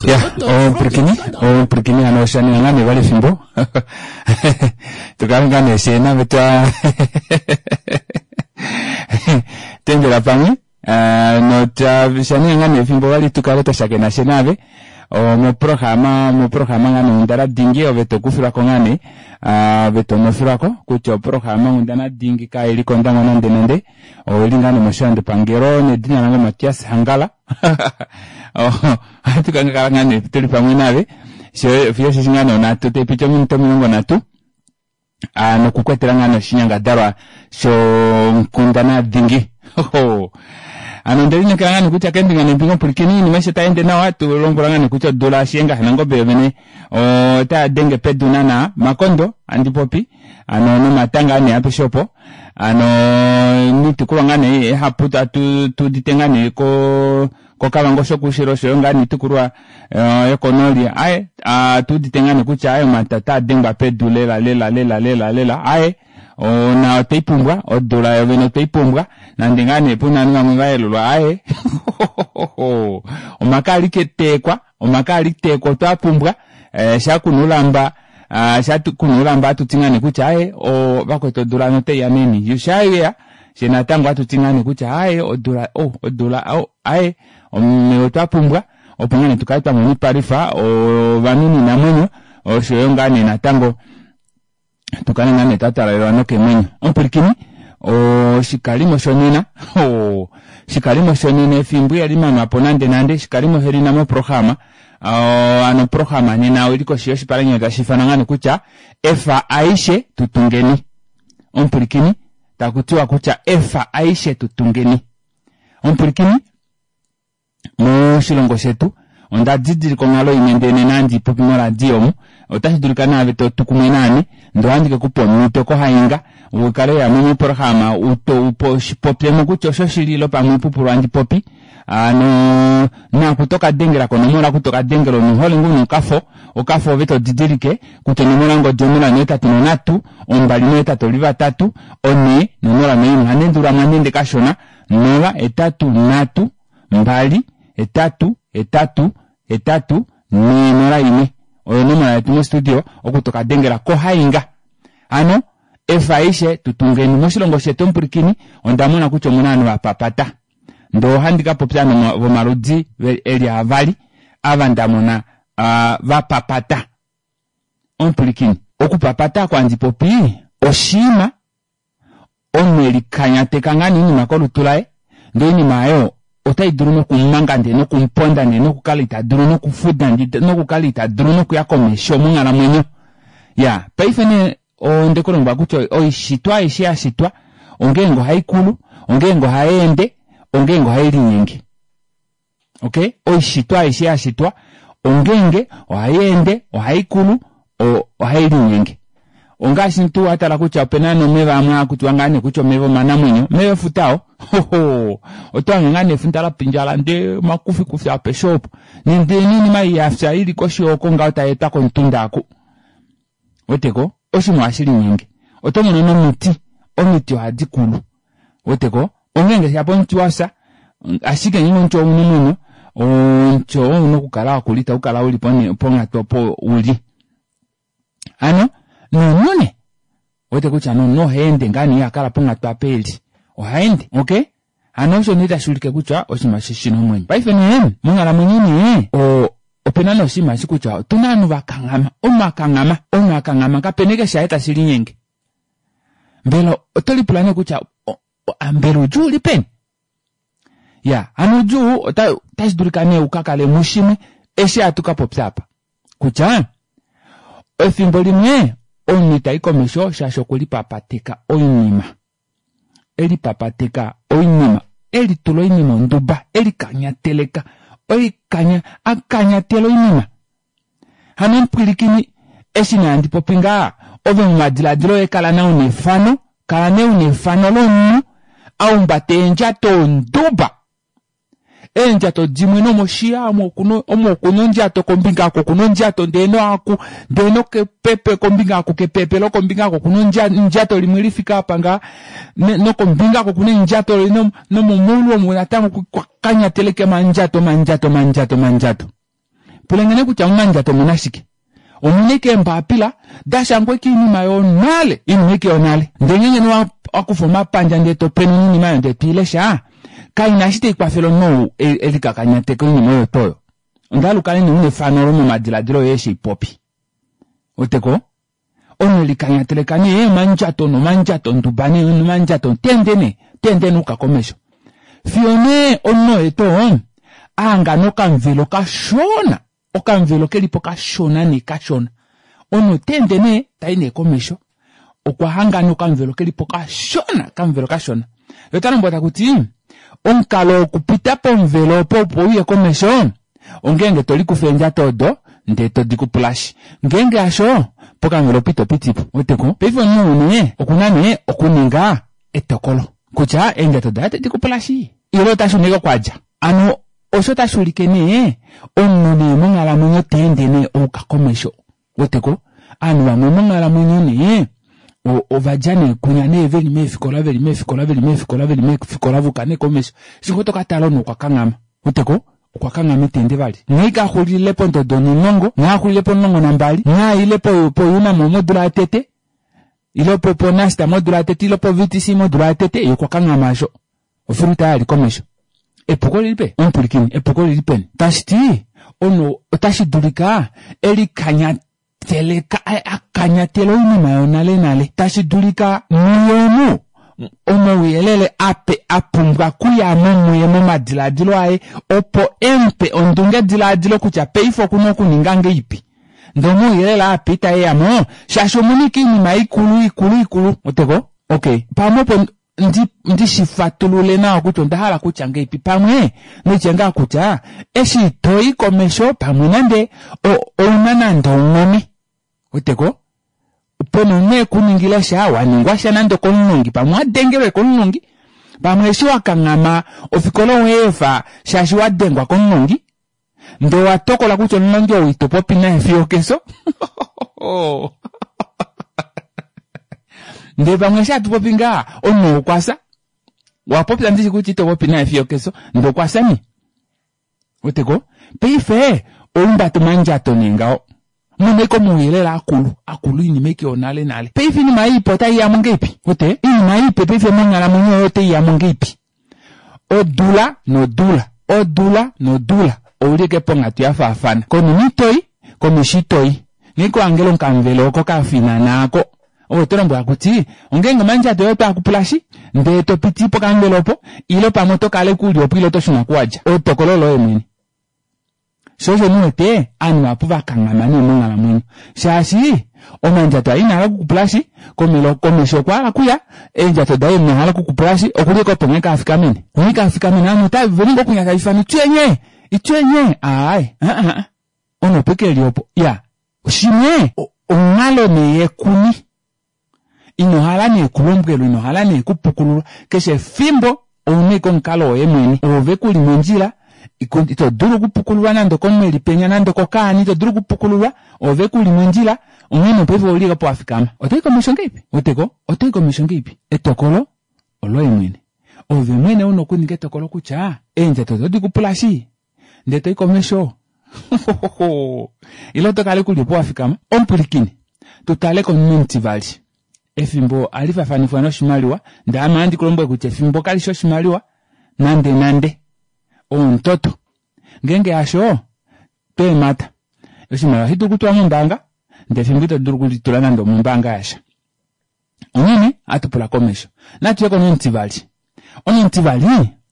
Ya, omupwilikini, omupwilikini hano osha ninga ngaa nee vali efimbo tukale ngaa nee fyee nave twa tendela pamwe eh, notwa sha ninga ngaa nee efimbo vali tukale twa shakena fye nave omoprograma moprograma ngaa nee Onghundana Dingi ove tokufilwako ngaa nee ah, ove tonofilwako kutya oprograma Onghundana Dingi kaili kOndangwa nande nande oili ngaa nee moshilandopangelo nedina lange Matias Hangala ohatu ka kala ngaa nee tuli pamwe nave fiyo osheshi ngaa nee onhatu tai piti ominute 30 nokukwetela ngaa nee oshinyangadalwa shonkundana dhingi. Ano onde lineekela ngaa nee kutya keembinga neembinga omupwilikini oinima aishe otai ende nawa tu lombwela ngaa nee kutya odula Shiyenga shaNangombe yovene otaya denge pedu naana makondo andi popi ano nomatanga nee apeshe opo ano miitukulwa ngaa nee ihapu tatu tuudite ngaa nee ko koKavango shokuushilo oshoyo ngaa niitukulwa eh, yokonooli aye ah, tuudite ngaa nee kutya aye omata otaa dengwa pedu lela lela lela lela lela aye ona otwei pumbwa odula yovene otwei pumbwa nande ngaa nee puna ovanhu vamwe va yelulwa aye omaka ali keteekwa omaka ali teekwa otwa pumbwa eh, sha kuna ulamba ah, sha kuna ulamba atuti ngaa nee kutya aye o vakwetu odula notaiya meni yo sha yeya she natango atuti ngaa nee kutya aye odula oh odula oh aye omeva otwa pumbwa opo ngaa nee tukale twa mona oipalwifa ovanhu noinamwenyo oshoyo ngaa nee natango tukale ngaa nee twa talalelwa nokeemwenyo. Omupwilikini, oshikalimo shonena, oshikalimo shonena efimbo ihali manwa po nande nande, oshikalimo shelina moprograma, ano oprograma nena oili koshi yoshipalanyole tashi ifanwa ngaa nee kutya efa aishe tutungeni. Omupwilikini, taku tiwa kutya efa aishe tutungeni. Omupwilikini, Moshilongo shetu onda didilika onghalo imwe ndee nena handi ipopi moradio omu, otashi dulika naave to tu kumwe naame, ndee ohandi ke kupa omhito kohainga u kale weya mo moprograma u popye mo kutya oshoshili ile pamwe oipupulu handi popi. Hano naku to ka dengela konomola oku to ka dengela omunhu hole ngoo una okafo, okafo ove to didilike kutya onomola yongodi 083 283 4 01. Ohandi endulula mo handi ende kashona, 0 8 3 2 8 8 8 4 0 1 oyo onomola yetu mostudio oku toka dengela kohainga. Hano efa aishe tu tungeni moshilongo shetu omupwilikini onda mona kutya omuna ovanhu vapapata ndee ohandi ka popya vomaludi eli avali ava ndamona vapapata. Omupwilikini okupapata oko handi popi oshiima omunhu e likanyateka ngaa nee oinima kolutu laye, ndee oinima aayo otai dulu nokumumanga ndee nokumuponda ndee nokukala ita dulu nokufuda ndee nokukala ita dulu nokuya komesho monghalamwenyo. Ya, paife nee onde ku lombwela kutya oishitwa aishe ya shitwa ongeenge ohai kulu, ongeenge ohai ende, ongeenge ohai linyenge. Okay? Oishitwa aishe ya shitwa ongeenge ohai ende, ohai kulu, ohai linyenge. Ongaashi tuu wa tala kutya opena nomeva amwe haa kutiwa ngaa nee kutya omeva omanamwenyo, omeva efuta oo. Hoho! Oto hange ngaa nee efuta la pindjala ndee omakufikufi apeshe opo. Nande noinima ei ya fya ili koshi oko ngaho tai etwa komutunda aku. Weteko? Oshinima ohashi linyenge. Oto mono nomiti, omiti ohadi kulu. Weteko? Ongeenge shapo omuti wa fya, ashike ngeenge omuti ouna omwenyo, omuti oo ouna okukala wa kula itau kala uli ponghatu opo uli. Hano nomunhu nee, wete kutya nomunhu oha ende ngaa nee iha kala ponghatu apa eli. Oha ende, okay? Hano osho nee tashi ulike kutya oshinima eshi oshina omwenyo. Paife nee, monghalamwenyo nee, opena nee oshinima eshi kutya otuna ovanhu va kanghama, omunhu a kanghama, omunhu a kanghama kapena eke shaye tashi linyenge. Mbela oto lipula nee kutya mbela oudjuu uli peni? Ya, hano oudjuu otashi dulika nee u ka kale mushimwe eshi hatu ka popya apa. Kutya efimbo limwe omunhu ita i komesho shaashi okwe lipapateka oinima. E lipapateka oinima, e litula oinima onduba, e likanyateleka, oikanya, a kanyatela oinima. Hano omupwilikini, eshi nee handi popi ngaha, ove momadiladilo oye kala nee una efano, kala nee una efano lomunhu a humbata eendjato onduba. Eendjato dimwe nomoshiya omo okuna omo okuna ondjato kombinga oko okuna ondjato ndee noaku ndee nokepepe kombinga oko kepepe lokombinga oko okuna ondjato limwe lifike apa ngaha nokombinga oko okuna endjato nomomaulu omo natango kwa kanyateleke omandjato omandjato omandjato omandjato. Pulengene kutya momandjato omuna shike. Omuna ike eembapila da shangwa ike oinima yonale, oinima ike yonale. Ndele ngeenge nee wa kufa omapandja ndele to penuna oinima oyo ndele to i lesha, kaina eshi tai kwafele omunhu ou e likakanyateka oinima oyo tuu oyo. Onda hala u kale nee una efano olo momadiladilo oye eshi popi. Weteko? Omunhu elikanyateleka nee omandjato nomandjato nduba nee nomandjato tende nee tende nee uka komesho. Fiyo nee omunhu oye tuu a hangana okamuvelo kashona Okamuvelo ke li po kashona nee kashona. Omunhu ota ende nee ta i nee komesho. Okwa hanga nee okamuvelo ke li po kashona, okamuvelo kashona. Ye ota lombwelwa taku ti, omukalo wokupita pomuvelo opo opo u ye komesho, ongeenge to likufa eendjato odo ndee to di kupulashi. Ngeenge hasho, pokamuvelo opo ito piti po. Weteko? Paife omunhu ou nee oku na nee okuninga etokolo kutya eendjato daye ote di kupulashi ile ota shuna ashike oko a dja. Hano osho otashi ulike nee omunhu nee monghalamwenyo ta ende nee ouka komesho. Weteko? Ovanhu vamwe monghalamwenyo nee ova dja nee kunya nee veli meefikola veli meefikola veli meefikola veli meefikola vuka nee komesho. Eshi ngoo toka tala omunhu okwa kanghama. Weteko? Okwa kanghama ita ende vali. Nghee ka xulile pondodo onimulongo, nghee a xulile pomulongo nambali, nghee aile po-UNAM modula yotete, ile po-NUST modula yotete, ile po-VTC modula yotete, ye okwa kanghama asho. Ofiluta ya li komesho. Epuko lili peni? Omupwilikini, epuko lili peni? Tashi ti, omunhu otashi dulika e likanyatele, a kanyatele oinima yonalenale. Tashi dulika muye omu omauyelele ape a pumbwa okuya mo muye momadiladilo aye opo e mu pe ondungediladilo kutya paife oku na okuninga ngeipi. Ndele omauyelele ape itae ya mo shaashi omu na ike oinima ikulu, ikulu, ikulu. Oteko? Okay. Pamwe opo ndi, ndi shi fatulule nawa kutya onda hala kutya ngeipi pamwe noitya ngaa kutya eshi to i komesho pamwe nande ouna nande onghone weteko pena omunhu ekuningila sha wa ningwa sha nande okomulongi pamwe wa dengelwe komulongi pamwe eshi wa kanghama ofikola oweefa shaashi wa dengwa komulongi ndee wa tokola kutya omulongi ou ito popi naye fiyo okeso ndee pamwe eshi hatu popi ngaa omunhu okwa fya wa popya ndishi kutya ito popi naye fiyo okeso ndee okwa fya nee weteko paife oumbata omandjato nee ngaho muna ike omauyelele akulu akulu oinima ike yonale nale paife oinima ipe otai yamo ngeipi wete oinima ipe paife monghalamwenyo yoye otai yamo ngeipi Odula nodula, odula nodula, ou li eke ponghatu ya faafana. Konima ito i, komesho ito i. Nghee ko hangela okamuvelo oko ka finana ako. Ove oto lombwelwa kuti, ongeenge omandjato oye otaa kupulashi, ndee to piti pokamuvelo opo, ile pamwe oto kala eke u li opo ile oto shuna ku wa dja. Etokolo oloye mwene. Sho osho mu wete ovanhu vahapu va kanghama nee monghalamwenyo shaashi omandjato aye ina hala okukupulashi komelo komesho okwa hala kuya eendjato daye ina hala okukupulashi okuli eke opo nghee kaafikamene nghee kaafikamene ovanhu ota veli ngoo kunya taifana itwenye itwenye aaye aa omunhu opo eke eli opo ya shimwe onghalo nee yekuni Ino hala nee kulombwelwa, ino hala nee kupukululwa. Keshe efimbo ouna ashike omukalo woye mwene. Oove ku li mondjila, ito dulu okupukululwa nande okomunhu e li penya nande okokaana, ito dulu okupukululwa, oove ku li mondjila, onghee nee paife ouli opo wa fikama. Oto i komesho ngeipi? Weteko? Oto i komesho ngeipi? Etokolo oloye mwene. Ove mwene una okuninga etokolo kutya eendjato oto di kupula shi ndee to i komesho ile oto kala kuli opo wa fikama. Omupwilikini, tu tale komunhu omutivali. Efimbo ohali fafanifwa noshimaliwa, ndee ame ohandi ku lombwele kutya efimbo kali shi oshimaliwa nande nande. Omutoto. Ngeenge hasho, tweemhata. Oshimaliwa ohashi dulu okutulwa mombaanga, ndee efimbo ito dulu okulitula nande omombaanga yasha. Onghene ohatu pula komesho. Natu ye komunhu omutivali. Omunhu omutivali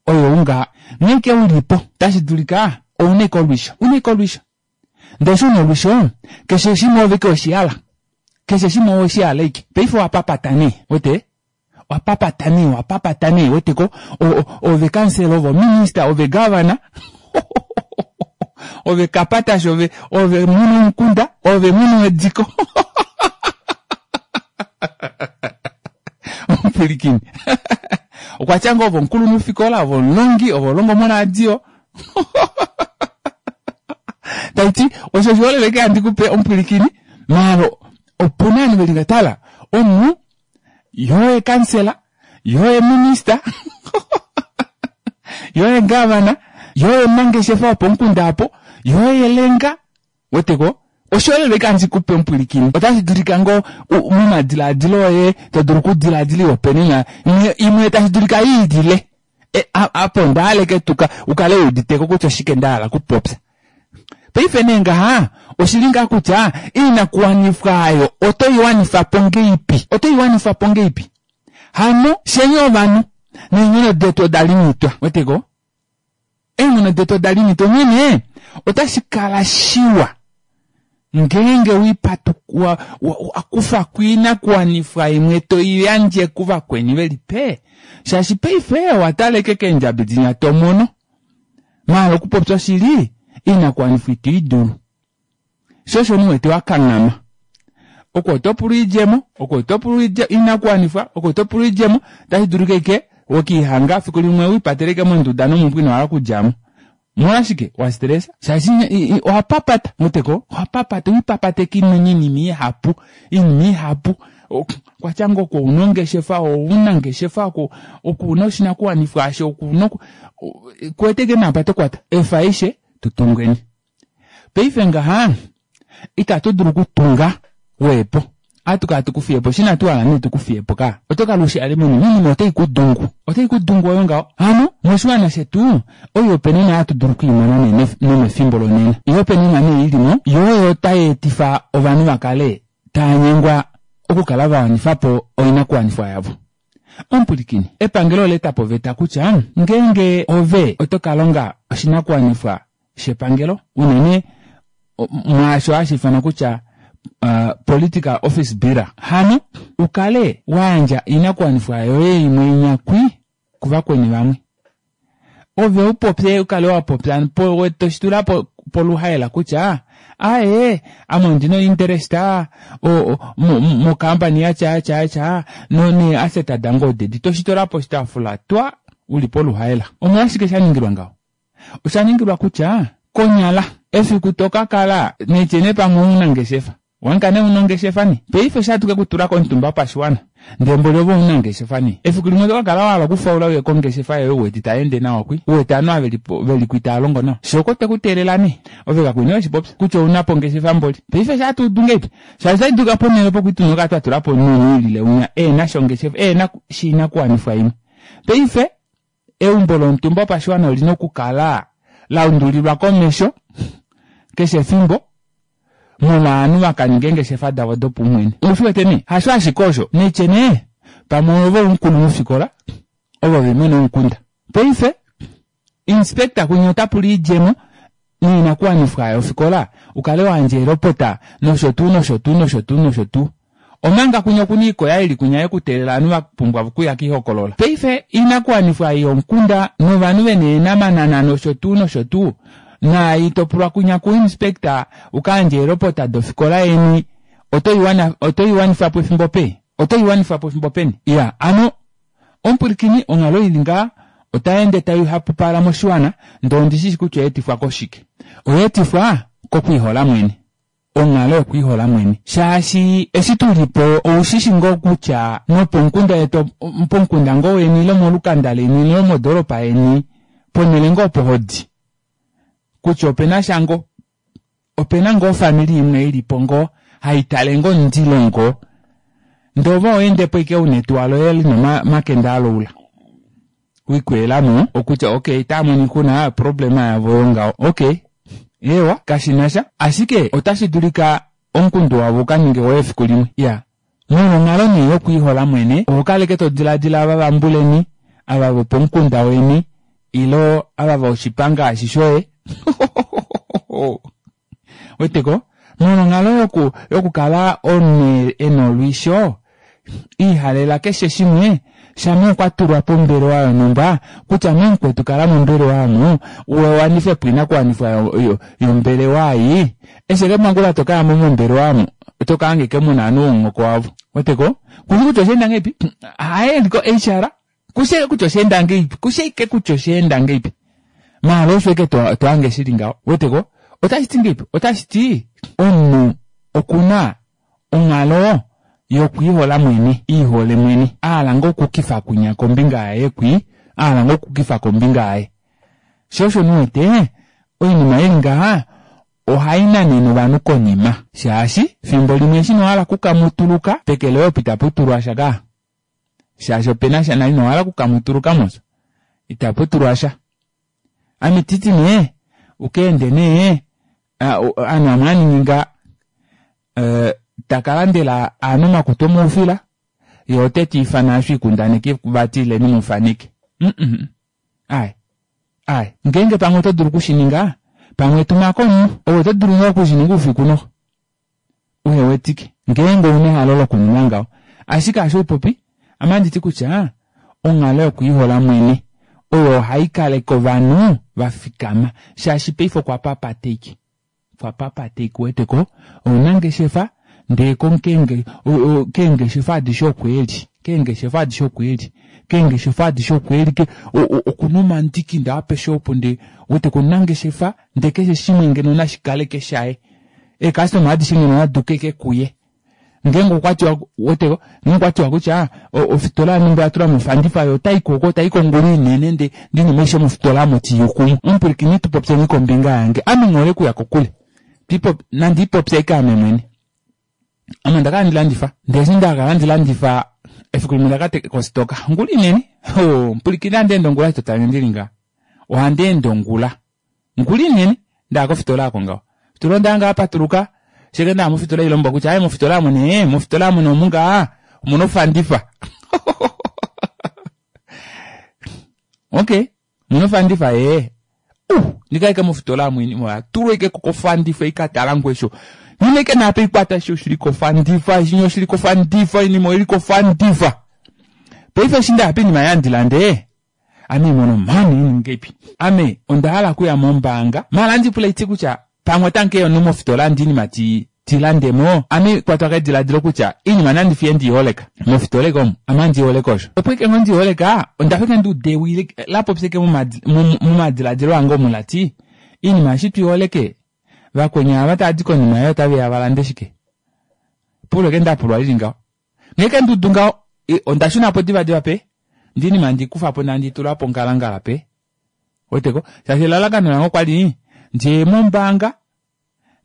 oye ou ngaha. Nghee ike u li po, otashi dulika ou na ike olwisho. U na ike olwisho. Ndele eshi u na olwisho, keshe shimwe ove ike weshi hala. Keshe shimwe owe shi hala ike. Paife owa papata nee. Wete? Owa papata nee, owa papata nee. Wete ko? Ove kansela, ove ominista, ove gavana. Ove kapatashi, ove, ove mwene womukunda, ove mwene wediko. Omupwilikini. Okwa tya ngoo ove omukulunhufikola, ove omulongi, ove olongo moradio. Tai ti, osho oshiholelwa eke handi ku pe omupwilikini, maala opu na ovanhu ve li nga tala, omunhu yo ye kansela, yo ye minista, yo ye gavana, yo ye omunangeshefa wopomukunda apo, yo ye elenga. Weteko? Oshiholelwa ike handi kupe omupwilikini. Otashi dulika ngoo momadilaadilo oye to dulu okudilaadila ihopaenenwa imwe tashi dulika i ilile. E, apo onda hala eke tuka ukale u uditeko kutya oshike nda hala okupopya. Paife nee ngaha oshili ngaa kutya oinakuwanifwa ayo oto i wanifa po ngeipi? Oto i wanifa po ngeipi? Hano sheni ovanhu neenghono detu oda limitwa. Weteko? Eenghono detu oda limitwa onghene otashi kala shiwa ngeenge wa, wa kufa ko oinakuwanifwa imwe to i yandje kuvakweni veli pe shaashi paife owa taleke keendjabi dinya to mono maala okupopya oshili oinakuwanifwa ito i dulu sho osho niwete wa kanghama oko oto pulu oidjemo oko oto pulu oinakuwanifwa oko oto pulu oidjemo otashi dulika ike wekiihanga fiku limwe wiipateleke monduda nomumbwa ino hala okudjamo molwashike wa stressa shaashi owa papata weteko owa papata wiipapateka oinima ihapu oinima ihapu kwatya ngoo oko una ongeshefa ouna ngeshefa oko una oshinakuwanifwa asho okuna kuweteke naapa tokwata efa aishe tutungeni paife ngaha itatu dulu okutunga weepo ohatu kala tukufiye po shina tuhala nee tukufiye po ka oto kala ushi ale moni oinima otai kudungu otai kudungu oyo ngaho hano moshiwana shetu oihopaenenwa hatu dulu okwiimona nee nomefimbo lonena oihopaenenwa nee ilimo yo oyo tai etifa ovanhu vakale tava nyengwa okukala va wanifa po oinakuwanifwa yavo. Omupwilikini, epangelo ola eta po oveta kutya ngeenge ove oto ka longa oshinakuwanifwa shepangelo unene mwaasho hashi ifanwa kutya political office bearer hano ukale wa yandja oinakuwanifwa yoye imwe inyakwi kuvakweni vamwe ove upopye ukale wa popya po toshitula po poluhaela kutya aye ame ondina ointerest mokampani yatya yatya yatya none asset dange odedi toshitula poshitaafula twa uli poluhaela. Omolwashike sha ningilwa ngaho? Osha ningilwa kutya konyala efiku to ka kala netye nee pamwe omunangeshefa wanka nee una ongeshefa nee paife osha tuke kutula komutumba wopashiwana ndee mboli ove omunangeshefa nee efiku limwe oto ka kala wa hala okufaula uye kongeshefa yoye uwete itayeende nawa kwi uwete ovanhu ava veli kwi tava longo nawa shoo oko teku teelela nee ove kakwene weshipopya kutya ouna po ongeshefa mboli paife sha tuudu ngeipi shaashi otashi dulika ponhele opo kwituna okala twa tula po omunhu ilile unya ehena sha ongeshefa ehena shinakuwanifwa imwe paife eumbo lomutumba wopashiwana olina okukala la undulilwa komesho keshe efimbo molwa ovanhu vakaninga eengeshefa davo dopaumwene. Oushi wete nee? Hasho ashike osho, netye nee pamwe ove omukulunhufikola ovo vemwene womukunda. Paife inspector kunye ota pula oidjemo noinakuwanifwa yofikola ukale wa yandja eelopota nosho tuu nosho tuu nosho tuu nosho tuu. Omanga kunye okuna oikoya ili kunya yekuteelela ovanhu va pumbwa okuya koihokolola. Paife oinakuwanifwa ei yomukunda novanhu vena eenamanana nosho tuu nosho tuu naai topulwa kunya ku inspector uka yandje eelopota dofikola yeni oto i wanifa po efimbo pe? Oto i wanifa po efimbo peni? Iya, ano omupwilikini onghalo ili ngaa otai ende tai hapupala moshiwana ndee ondi shishi kutya oya etifwa koshike. Oya etifwa kokwiihola mwene. Onghalo yokwiihola mwene. Shaashi eshi tu li po oushishi ngoo kutya nopomukunda yetu pomukunda ngoo weni ile molukanda leni ile modoolopa yeni ponhele ngoo opo hodi kutya opena sha ngoo opena ngoo ofamili imwe ilipo ngoo haitale ngoo omundilo ngoo ndee ove oho ike una etuwa loye lina omakende aloula wikwelamo okutya okay itaamona oixuna problema yavo oyo ngaho okay eewa kashinasha ashike otashi dulika omukundu wavo ukaninge woye efiku limwe ya molwonghalo nee yokwiihola mwene oho kaleke to diladila ava vambuleni ava vopomukunda weni ilo ava voshipanga eshi shoye weteko molwonghalo yoku yokukala omunhu ena olwisho ihalela keshe shimwe shama okwa tulwa pombelewa yonhumba kutya memukwetu kala mombelewa omo wanife po oinakuwanifwa yombelewa ei eshi eke mangula tokayamo mombelewa omo oto kahange ike muna ovanhu vomuhoko wavo weteko kushi kutya oshaenda ngahelipi haye eliko HR kushi kutya oshaenda ngahelipi kushi ike kutya oshaenda ngahelipi maala osho ike tohange shili ngaho weteko otashi ti ngahelipi otashi ti omunhu okuna onghalo yokwiihola mwene iihole mwene ahala ngoo okukifa kunya kombinga yaye kwi ahala ngoo okukifa kombinga yaye sho osho niwete oinima ili ngaha. Ohai nanene ovanhu konima shaashi fimbo limwe eshi ino hala okukamutuluka peke loye opo itapu tulwa sha kaa shaashi opena sha nale ino hala okukamutuluka mos itapu tulwa sha. Ame titi nee uka ende nee ovanhu vamwe haningi nga taka landela ovanhu omakutu omoufila yee ote tiifana aasho oikundaneki vati ileni mufaneke mm ai ai ngeenge pamwe oto dulu okushininga pamwe tumako omunhu ove oto dulu ngoo okushininga oufiku noxo uhewetike ngeenge ouna ehalo lokuninga ngaho ashike aasho upopi ame handiti kutya onghalo yokwiihola mwene oyo ohai kaleke ovanhu vafikama shaashi paife okwa papata ashike okwa papata ashike uweteko omunangeshefa ndee keengeshefa adishe oko eli keengeshefa adishe oko eli keengeshefa adishe oko eli okuna omandiki ndee apeshe opo ndee uweteko omunangeshefa ndee keshe shimwe ngeno nashikaleke shaye eecustoma adishe ngeno naduke ashike kuye ngeenge okwatiwa weteko ngeenge okwatiwa kutya ofitola yanhumba oyatula mo ofandifa yo otayi koko tayi kongulu inene ndee oinima aishe mofitola aamo tiiyukumo omupwilikini tupopyeni kombinga yange ame nghihole okuya kokule nandi ipopye ashike ame mwene ame ondakala handi landifa ndee eshi ndakala handi landifa efiku limwe ondaka kositoka ongula inene omupwilikini ohandi ende ongula eshi totange ndili ngaha ohandi ende ongula Ongula inene ndaya kofitola aako ngaho. Fitola onda hanga yapatuluka sheke ndaya mofitola ilombwa kutya aye mofitola amu nee mofitola amu nee omu ngaa omuna ofandifa. Okay omuna ofandifa ee. Ndikaike mofitola amu oinima oya tulwa ashike kofandifa ikatala ngoo esho. Nghina ashike naapa ikwata eshi oshili kofandifa eshi oshili kofandifa oinima oili kofandifa. Paife eshi ndaya poinima yaye andilande Ame mono mhani iningeipi? Ame onda hala okuya mombaanga maala andi pula iti kutya pamwe otankeya omunhu mofitola andi inima ti ti landemo. Ame kwatwa kediladilo kutya iinima nandi fiye ndiiholeka mofitola eke omu ame andi iholeke osho. Opo eke ngoo ndiiholeka onda fa eke nduuda ewi lapopya eke momadiladilo ange omu lati iinima eshi twiiholeke vakweni ava tavadi konima yoye otaveya valande shike? Epulo eke ndapulwa lili ngaho. Nghee ke ndudu ngaho onda shunapo divadiva pe ndee oinima handi kufapo ndee handi tula pongalangala pe weteko shaashi elalakano lange okwali ndiye mombaanga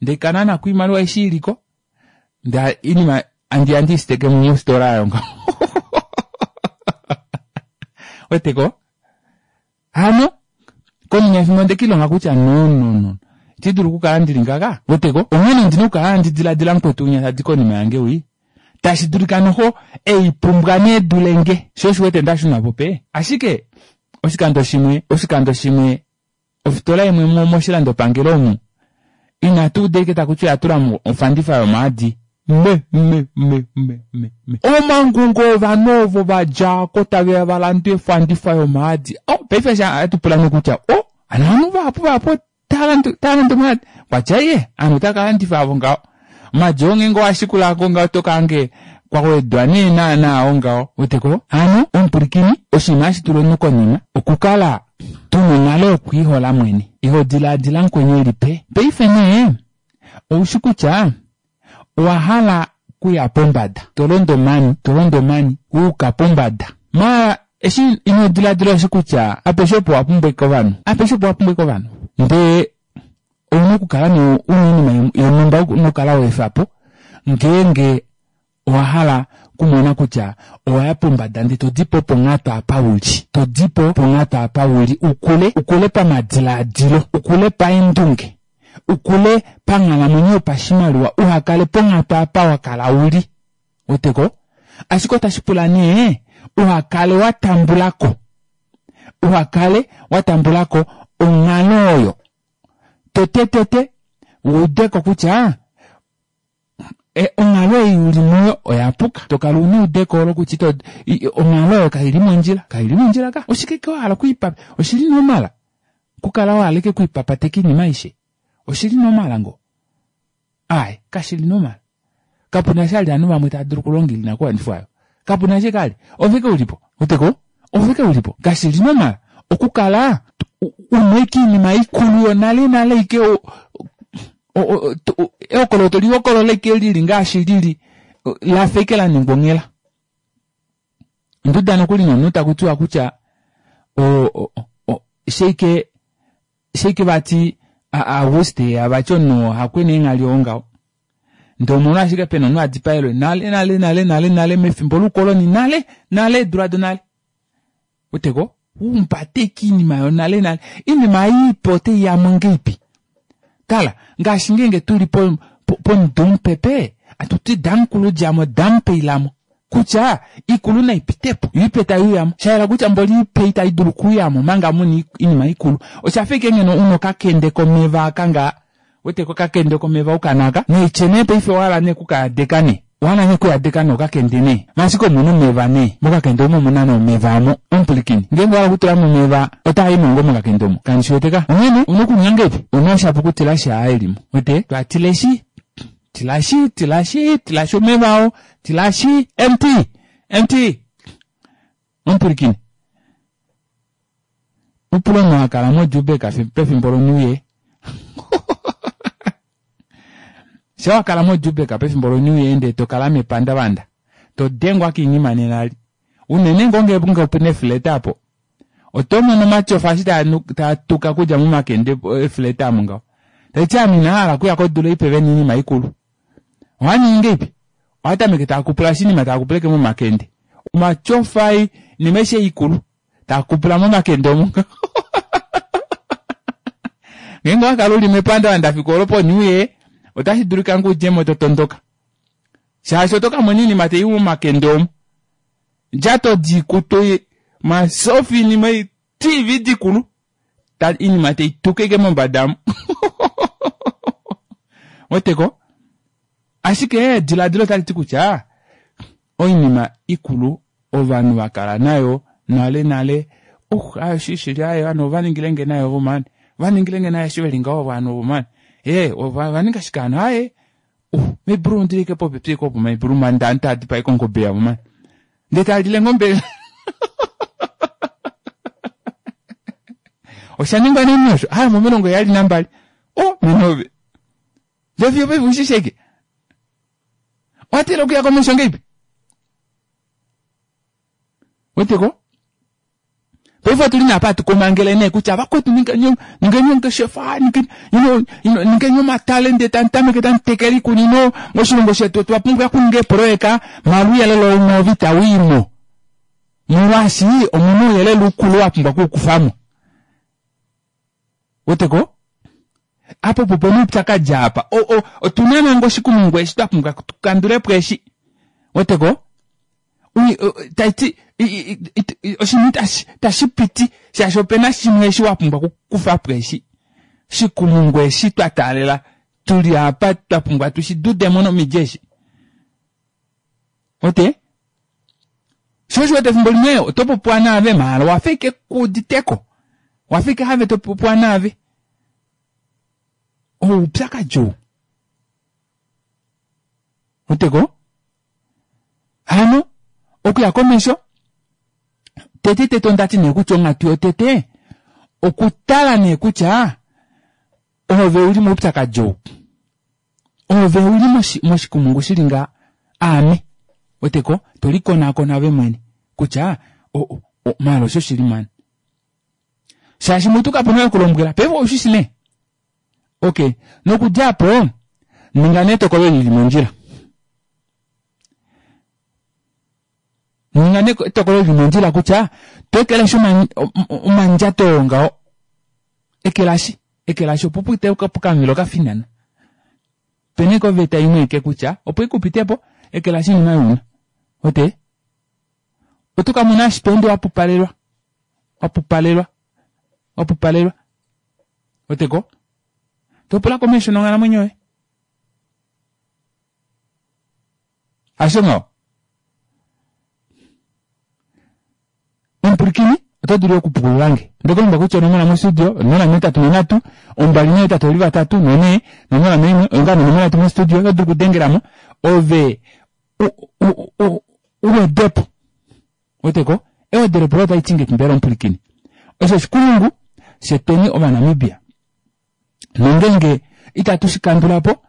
ndee kananako oimaliwa eshi iliko ndee oinima andiya ndiisiteke mofitola aayo ngaho weteko Hano, konima yefimbo onde kilonga kutya no no no, iti dulu okukala ndili ngaka, weteko, onghene ondina okukala handi diladila mukwetu winya tadi konima yange wii, tashi dulika noho ei pumbwa nee dule nge, sho osho wete nda shuna po pe. Ashike, oshikando shimwe, oshikando shimwe, ofitola imwe mo, moshilandopangelo omu, inatu uda ashike taku ti oya tula mo ofandifa yomaadi. Me, me, me, me, me, me. Omangungo ovanhu ovo va dja ko tave ya va lande ofandifa yomaadi. Oh, paife eshi hatu pula nee kutya, oh, hano ovanhu vahapu vahapu otava lande, otava lande omaadi. Kwa tya iye, ovanhu otava ka landifa avo ngaho. Omaadi oo ngeenge owa shikula ko ngaho oto ka hange kwa wedwa nee naana oo ngaho. Weteko? Hano, omupwilikini, oshinima hashi tula omunhu konima, okukala tu na onghalo yokwiihola mwene. Iho dilaadila mukweni e li pe. Paife nee, oushi kutya owa hala kuya pombada, to londo omani, to londo omani, wa yuka pombada. Maala eshi ino diladila oshi kutya apeshe opo wa pumbwa ashike ovanhu, apeshe opo wa pumbwa ashike ovanhu. Ndee ouna okukala nee una oinima yonhumba una okukala wa efa po ngeenge owa hala kumona kutya owa ya pombada ndee to di po ponghatu apa u li, to di po ponghatu apa u li u kule, u kule pamadilaadilo, u kule paendunge, u kule panghalamwenyo yopashimaliwa, uha kale ponghatu apa wa kala u li. Weteko? Ashike otashi pula nee uha kale wa tambula ko, uha kale wa tambula ko onghalo oyo. Tetetete u ude ko kutya E, onghalo ei u li muyo oya puka. To kala u na eudeko olo kutya ito, onghalo oyo kai li mondjila. Kai li mondjila ka. Oshike ke wa hala okwiipa, oshi li normal okukala wa hala ike okwiipapateka oinima aishe? Oshi li normal ngoo? Aaye, kashi li normal. Kapu na sha li ovanhu vamwe tava dulu okulonga oinakuwanifwa oyo. Kapu na sha kali. Ove ke u li po. Weteko? Ove ke u li po. Kashi li normal okukala u na ike oinima ikulu yonale nale ike ehokololo to li hokolola ike lili ngaashi lili lafa ike la ningwa onghela. Onda uda nokuli nomunhu taku tiwa kutya sheike sheike vati. Auguste vati omunhu oo hakwena eenghali oo ngaho. Ndee omolwashike pena omunhu a dipaelwe nale nale nale nale nale mefimbo loukoloni nale nale eedula donale. Weteko? Humbata ashike oinima yonale nale. Oinima ei ipe otai yamo ngahelipi? Tala, ngaashi ngeenge tuli po pomudo mupepe, atuti damukulu djamo damupe ilamo. Kutya ikulu nai pitepo, yo ipe tai uyamo. Shayela kutya mboli ipe itai dulu okuuyamo omanga muna oinima ikulu. Oshafa ashike ngeno una okakende komeva aka ngaa. Weteko okakende komeva oukana aka, naitye nee paife owahala nee okukayadeka nee. Owahala nee okuyadeka nee okakende nee. Maashike omuna omeva nee. Mokakende omo omuna nee omeva omo. Omupwilikini, ngeenge owahala okutula mo omeva, otaa i mo ngoo mokakende omo? Kandi shi wete ka. Onghene, ouna okuninga ngahelipi? Ouna oshapu okutilashi aa eli mo. Wete? Twatileshi, tilashi, tilashi, tilashi omeva oo, tilashi, empty! Empty! Omupwilikini, upula omunhu a kala moJubek pefimbo loNew Year. Sha wa kala moJubek pefimbo loNew Year ndee to kala mepandavanda, to dengwa kiinima nena li. Unene ngoo ngeenge opu na efleta apo. Oto mono omatyofa eshi taa tuka okudja momakende efleta omo ngaho. Tashi ti ame ina hala okuya kodula ipe ve na oinima ikulu. Ohaa ningi ngeipi? Ohaa tameke taa kupula shi inima taa kupuleke momakende. Omatyofa oinima aishe ikulu taa kupula momakende omo. Ngeenge owa kala uli mepandavanda fiku olo po-New Year, otashi dulika ngoo udje mo to tondoka. Shaashi oto ka mona oinima tai i momakende omo. Ndjato diikutu, omasofa, oinima ei, TV dikulu. Ta, iinima tai tuka ike mombada omo. Weteko? Ashike ediladilo otali ti kutya oinima ikulu ovanhu va kala nayo nale nale, uh, ayo shi shili ayo ovanhu ova ningile nge nayo ovo mani. Ova ningile nge nayo eshi ve li ngaho ovanhu ovo mani. Ee, ova ninga shike hano? Aye, uh, meibulu ondili ike popepi ike opo meibulu mani nda taa dipae kongobe yavo mani. Ndee taa lile ngombe. Osha ningwa neni osho? Aye, momilongo heyali nambali. Oh, menove. Ndee fiyo paife ushi sheke. Owa tila okuya komesho ngeipi? Weteko? Paife otu li nee apa hatu komangele nee kutya vakwetu ningeni ningeni ongeshefa, ningeni you know, you know, ningeni omatale ndee tamu tameke tamu tekele iikunino moshilongo shetu otwa pumbwa okuninga eepoloyeka maala ouyelele ou move itau i mo molwaashi omuna ouyelele ukulu wa pumbwa okuukufa mo. Weteko? Apa opo pena oupyakadi apa. Otu na nanga oshikumungu eshi twa pumbwa tu kandule po eshi. Weteko? Tai ti oshinima itashi piti shaashi opena shimwe eshi wa pumbwa okukufa po eshi. Oshikumungu eshi twa taalela tuli apa twa pumbwa tu shi dude mo nomidi eshi. Wete? Sho osho wete efimbo limwe oto popiwa naave maala owa fa ike ku uditeko. Owa fa ike have to popiwa naave. Oupyakadi ou. Weteko? Hano, okuya komesho, tete tete onda ti nee kutya onghatu yotete, okutala nee kutya ove uli moupyakadi ou. Ove u li moshikumungu shi li nga aame. Weteko, to likonakona ove mwene kutya maala osho shili mani. Shaashi mutu kapu na okulombwela, paife ou shi shi nee. Okay, nokudja apo, ninga nee etokolo li li mondjila. Ninga nee etokolo li li mondjila kutya to ekeleshi omandjato oo ngaho. Ekelashi. Ekelashi opo pute pokamuvelo ka finana. Pena ike oveta imwe ike kutya opo ike upite po, ekelashi oinima oyo una. Wete? Oto ka mona eshi to ende wa pupalelwa. Wa pupalelwa. Wa pupalelwa. Wete ko? To pula komesho nonghalamwenyo yoye. Hasho ngaho? Omupwilikini, oto dulu yo okupukulula nge. Onde ku lombwela kutya onomola mostudio, 083 248 4, 01 oyo ngaa nonomola yetu mostudio, oto dulu okudengela mo ove u, u, u, u wede po. Wete ko? Ewedelepo loye otali ti ngeipi mbela omupwilikini? Osho oshikulungu shetweni Ovanamibia. Nongeenge itatu shi kandula po,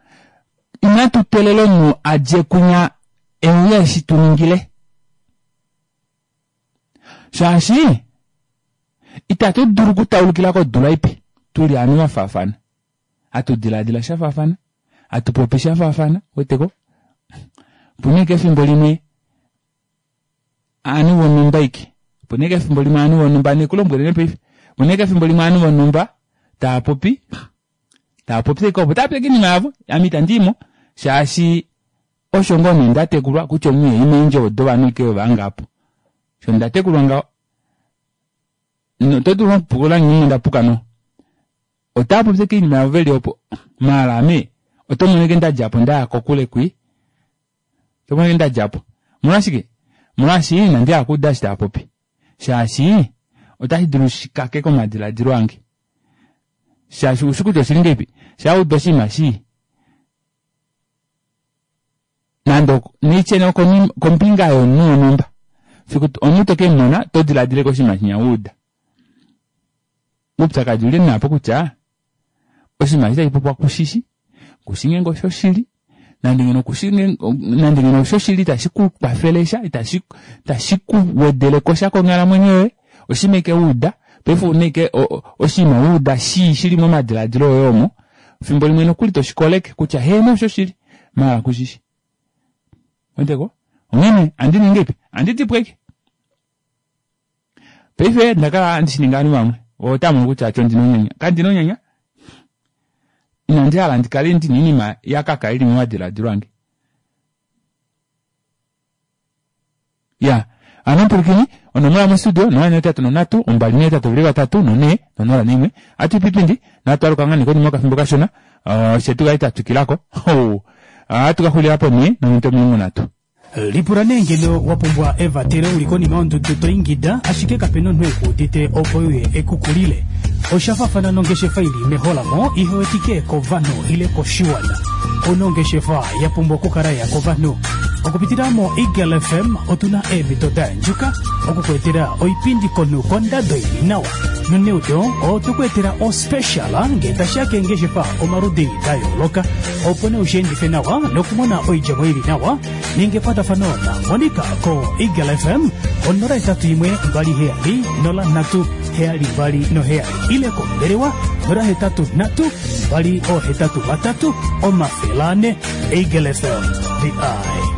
inatu teelela omunhu a dje kwinya e uye e shi tu ningile. Shaashi itatu dulu okutaulukila kodula ipe tu li ovanhu va faafana. Hatu dilaadila sha faafana, hatu popi sha faafana, uweteko? Opu na ashike efimbo limwe ovanhu vonhumba ashike, opu na ashike efimbo limwe ovanhu vonhumba, handi ku lombwele nee paife, opu na ashike efimbo limwe ovanhu vonhumba tava popi, tava popi ashike opo, tava popi ashike oinima yavo, ame itandi i mo shaashi osho ngoo nee nda tekulwa kutya omunhu ihai meendjovo dovanhu ashike ove apo. Osho nda tekulwa ngaho. Oto dulu okupukula nge nda puka no. Otava popi ashike oinima yavo veli opo, maala ame oto mono ashike nda dja po nda ya kokule kwi. Oto mono ashike nda dja po. Omolwashike? Omolwaashi inandi hala okuuda eshi tava popi. Shaashi otashi dulu shi kakeke omadiladilo ange. Shaashi oushi kutya oshili ngahelipi? Shaa wa uda oshinima shii, nande neitye nee okombinga yomunhu wonhumba, fiku omunhu to ke mu mona oto diladila ashike oshinima shinya wa uda. Oupyakadi ouli nee apo kutya oshinima eshi tashi popiwa kushishi, kushi ngeenge oshoshili, nande ngeno kushi nande ngeno oshoshili itashi ku kwafele sha, itashi itashi ku wedele ko sha konghalamwenyo yoye, oshinima ashike wa uda, paife ouna ashike oshinima wa uda shii shili momadiladilo oye omo, fimbo limwe nokuli toshi koleke kutya heeno oshoshili, maala kushishi. Weteko? Onghene andi ningi ngahelipi? Andi di po ashike. Paife nda kala handi shi ningi ovanhu vamwe otava mono kutya ati ondina onyanya. Kandina onyanya. Inandi hala ndi kale ndina oinima ya kaka ili momadiladilo ange. Ya, hano pwilikini, onomola mostudio 083 248 3 4 01. Atu ipipindi natu aluka ngaa nee konima yokafimbo kashona fye tu kale twa twikilako. Ohatu ka xulila po nee nominute 30. Lipula nee ngeno wa pumbwa evatelo u li konima yondudu to ingida ashike kape na omunhu e ku udite opo e uye e ku kulile. Osha faafana nongeshefa i li meholamo ihe wetike kovanhu ile koshiwana. Ouna ongeshefa ya pumbwa okukala ya kovanhu. Okupitila moEagle FM otu na eemhito da yandjuka oku ku etela oipindi komunhu kondado i li nawa. Noneudo otwe ku etela ospecial ngee tashi ya keengeshefa omaludi da yooloka. Opo nee ushi endife nawa nokumona oidjemo i li nawa, ninga ekwatafano naMonica koEagle FM ko 081 27 03 72 7 ile kombelewa 083 283 400. Eagle FM, the eye.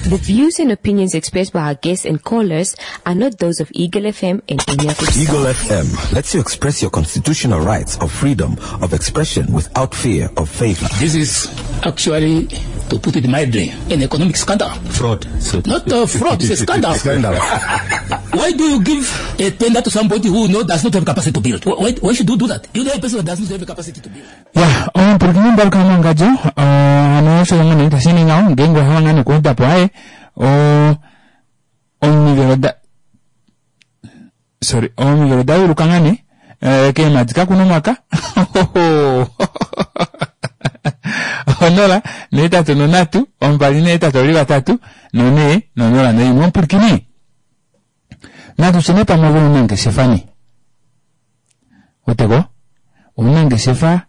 The views and opinions expressed by our guests and callers are not those of Eagle FM and any of its Eagle FM lets you express your constitutional rights of freedom of expression without fear of favor. This is actually, to put it mildly, an economic scandal. Fraud. So Not a fraud, it's a scandal. Scandal. Why do you give a tender to somebody who no, does not have capacity to build? Why, why should you do that? You know a person that does not have capacity to build. Ya, omupwilikini mbaluka mongadjo, hano osho ngoo nee tashi ningi ngaho, ngeenge owa hala ngaa okuuda po aye, omivelo da sorry, omivelo da yuluka ngaa nee, keemhadi kakuna omwaka, 0 8 3 2 8 3 4 0 01. Omupwilikini, natu tye nee pamwe ove omunangeshefa nee. Weteko? Omunangeshefa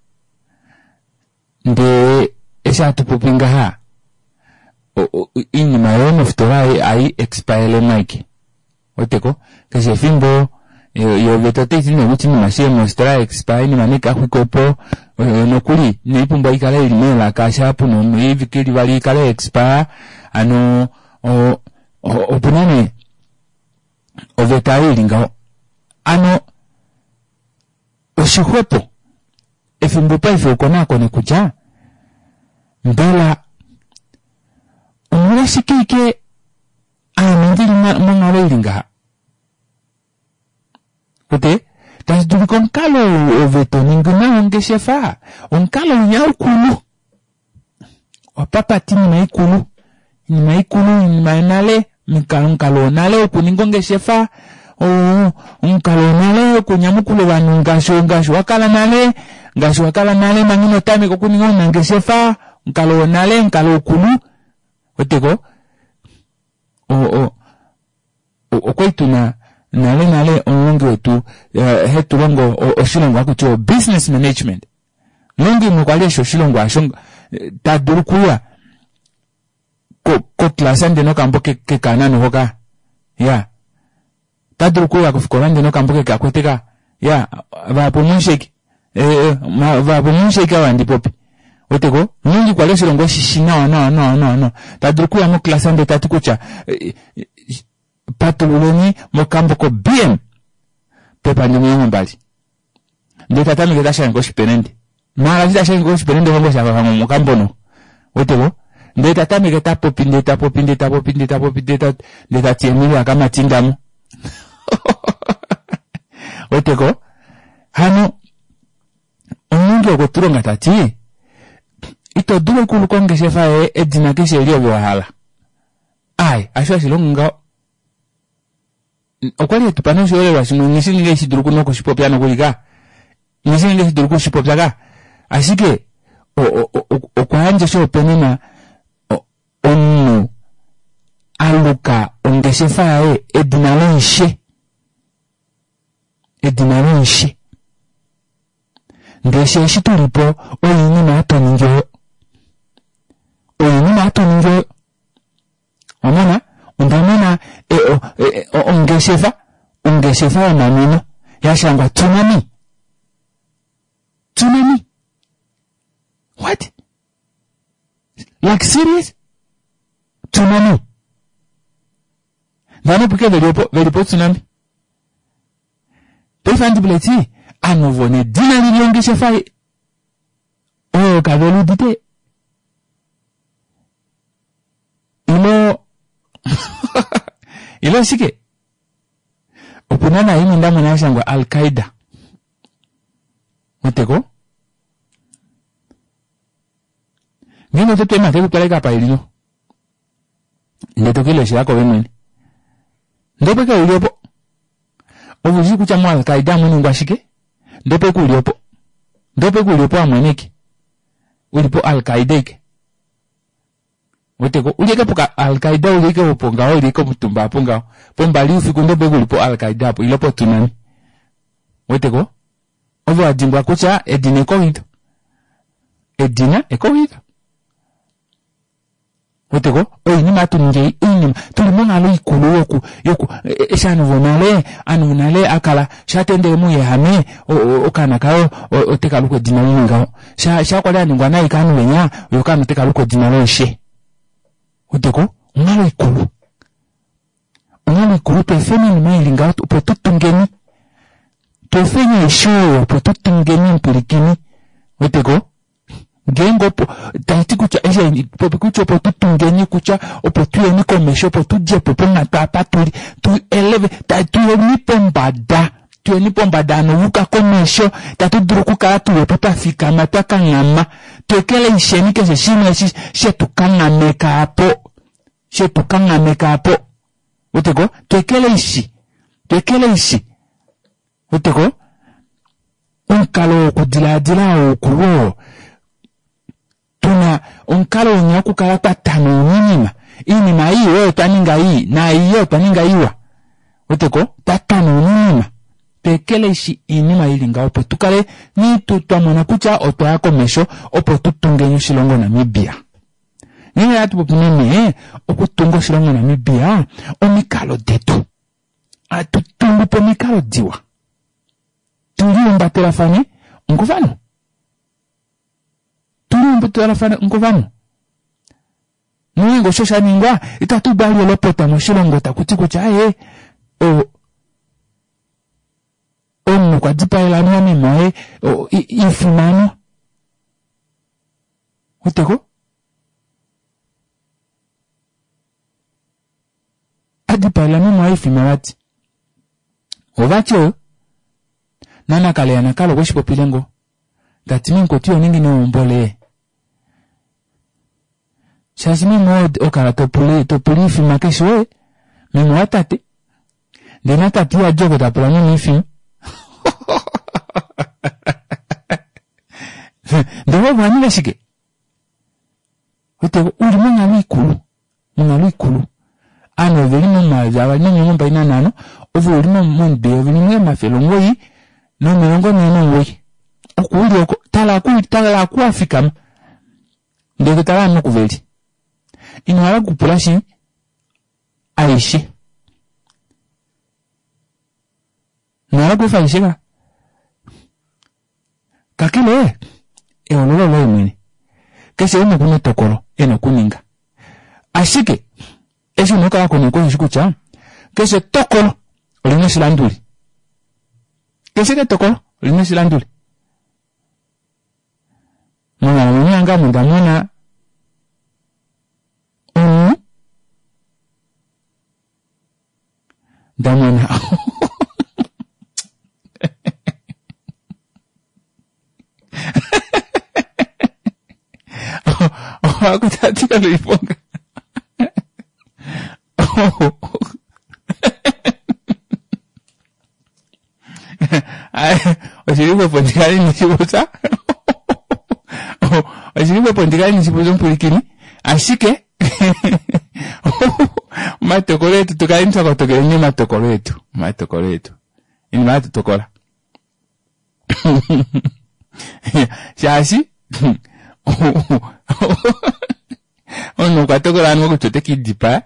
ndee eshi hatu popi ngaha oinima yoye mofitola hai expire mike. Weteko? Keshe efimbo yo oveta otai ti nee kutya oinima eshi mofitola ya expire oinima naika xwikwe po nokuli inai pumbwa ikale ili meelaka shaa puna oivike ili vali ikale ya expire hano opuna nee oveta oyo ili ngaho. Ano oshixwepo efimbo paife ukonaakone kutya mbela omolwashike ike aame ndili monghalo ili ngaha? Wete, tashi dulika omukalo ou ove to ningi nao ongeshefa, omukalo winya ukulu. Wapapata iinima ikulu, iinima ikulu, iinima yonale, omukalo wonale wokuninga ongeshefa, omukalo wonale wokunyamukula ovanhu ngaashi ngaashi wa kala nale, ngaashi wa kala nale manga ino tameka okuninga ounangeshefa, omukalo wonale, omukalo ukulu, weteko? Okwali tuna nale nale omulongi wetu hetu longo oshilongwa haku tiwa business management. Omulongi umwe okwa li eshi oshilongwa osho ta dulu okuya koklasa ndee nokambo kekanano hoka ya ota dulu okuya kofikola ndee nokambo keke akwete ka ya vahapu omusheki. Vahapu musheke ava handi popi. Weteko? Omulongi kwa li oshilongo eshi shi nawa nawa nawa nawa nawa. Ta dulu okuya moklasa ndele ta ti kutya patululeni mokambo ko-BM pepandja 20. Ndele ta tameke ta shange koshipelende. Maala eshi ta shange koshipelende hongo sha fafa mokambo no. Weteko? Ndele ta tameke ta popi ndele ta popi ndele ta popi ndele ta popi ndele ta ndele ta ti Emilia kamatindamo. Weteko? Hano omulongi okwe tu longa ta ti ito dulu okuluka ongeshefa yoye edina keshe eli ove wa hala. Ai, asho hashi longo ngaho. Okwa li e tu pa noshiholelwa shimwe nghi shi nge shi dulu nokushipopya nokuli ka. Nghi shi nge shi dulu okushipopya ka. Ashike okwa yandja oshihopaenenwa omunhu a luka ongeshefa yaye edina loishe. Edina loishe. Ndele she eshi tu li po oinima hatu ningi oyo. Oinima hatu ningi oyo. Omona, onda mona ongeshefa, ongeshefa yomanwino ya shangwa Tsunami. Tsunami. What? Like serious? Tsunami. Ndano puke veli opo, veli po tsunami. Paife handi pula eti, ovanhu ovo nedina lili ongeshefa oyo kave ludite. Ilo ilo oshike? Opu na naimwe nda mona ya shangwa Al-Qaeda. Weteko? Ngeenge oto tema te ku twala apa ili no. Ndele to ke leshela kove mwene. Ndele opo uli opo. Ove ushi kutya mo Al-Qaeda amu ningwa shike? Ndele opo uli opo. Ndele opo uli opo amweneke. Uli po Al-Qaeda ike. Weteko, uli eke po Al-Qaeda uli eke opo ngaho, uli eke omutumba apo ngaho. Pombali youfiku ndele opo uli po Al-Qaeda apo, ile po tsunami. Weteko? Ove wa dimbwa kutya edina ekowito. Edina ekowito. Weteko, oinima hatu ningi oinima tuli monghalo ikulu yoku yoku eshi ovanhu vonale ovanhu vonale akala shatendele mouyehame okaana kayo oteka luku edina lili ngaho sha sha kwali aningwa nai kaanhu venya yo okaana oteka luku edina loishe. Weteko, onghalo ikulu. Onghalo ikulu tweefeni oinima ili ngaho opo tu tungeni. Tweefeni aishe oyo opo tu tungeni omupwilikini. Weteko? Ngeenge opo tashi ti kutya eshi popi kutya opo tu tungeni kutya opo tuyeni komesho opo tu dje po ponghatu apa tuli tu eleve tuyeni pombada tuyeni pombada hano yuka komesho tatu dulu okukala tuli opo twa fikama twa kanghama twekeleisheni keshe shimwe eshi shetu kanghameka apo shetu kanghameka apo weteko twekeleishi twekeleishi weteko omukalo wokudilaadila oukulu oo tuna omukalo wenya wokukala twa tana oinima iinima ii oyo twa ninga ii naai oyo twa ninga iwa weteko twa tana oinima twekeleishi iinima ili ngaho opo tukale twa mona kutya otwa ya komesho opo tu tungeni oshilongo Namibia. Ngeenge hatu popi meme okutunga oshilongo Namibia omikalo detu atu tungu po omikalo diwa tulihumbatelathane ngovanhu tulihumbatelathane ngovanhu nongeenge osho sha ningwa itatu bali olopota moshilongo taku ti kutya aye omunhu okwa dipaela anuwa meme waye ifimano weteko adipaela meme waye ifima vati ovati oyo nanakale yanakale okwe shi popile ngo tati memukwetu iho ningi neumbo lee shaashi meme oo okala topula topula ifima keshe oye meme watate ndee natate ihadi oko tapula meme ifima ndee ove owaninga shike wete uli monghalo ikulu monghalo ikulu ovanhu oveli momayovi avali nomilongo mbali nanhano ove uli momudo eyovi limwe omafele omugoyi nomilongo nhee nomugoyi oko uli oko tala aku tala aku wafikama ndee totala ovanhu oku veli ino hala okupula shi aishe ino hala okuefa aishe ka. Kakele, ehoololo oloye mwene. Keshe umwe oku na etokolo e na okuninga. Ashike, eshi u na okukala wa koneka osheshi kutya, keshe etokolo oli na oshilanduli. Keshe etokolo oli na oshilanduli. Monghalamwenyo yange ame onda mona omunhu nda mona Oakutatika loiponga. Oshili xwepo ndi kale ine shi popya. Oshili xwepo ndi kale ine shi popya omupwilikini. Ashike omatokolo etu tu kaleni twa kotokeleni omatokolo etu. Omatokolo etu. Inima hatu tokola. Shaashi omunhu okwa tokola anuwa kutya ote ke lidipaya.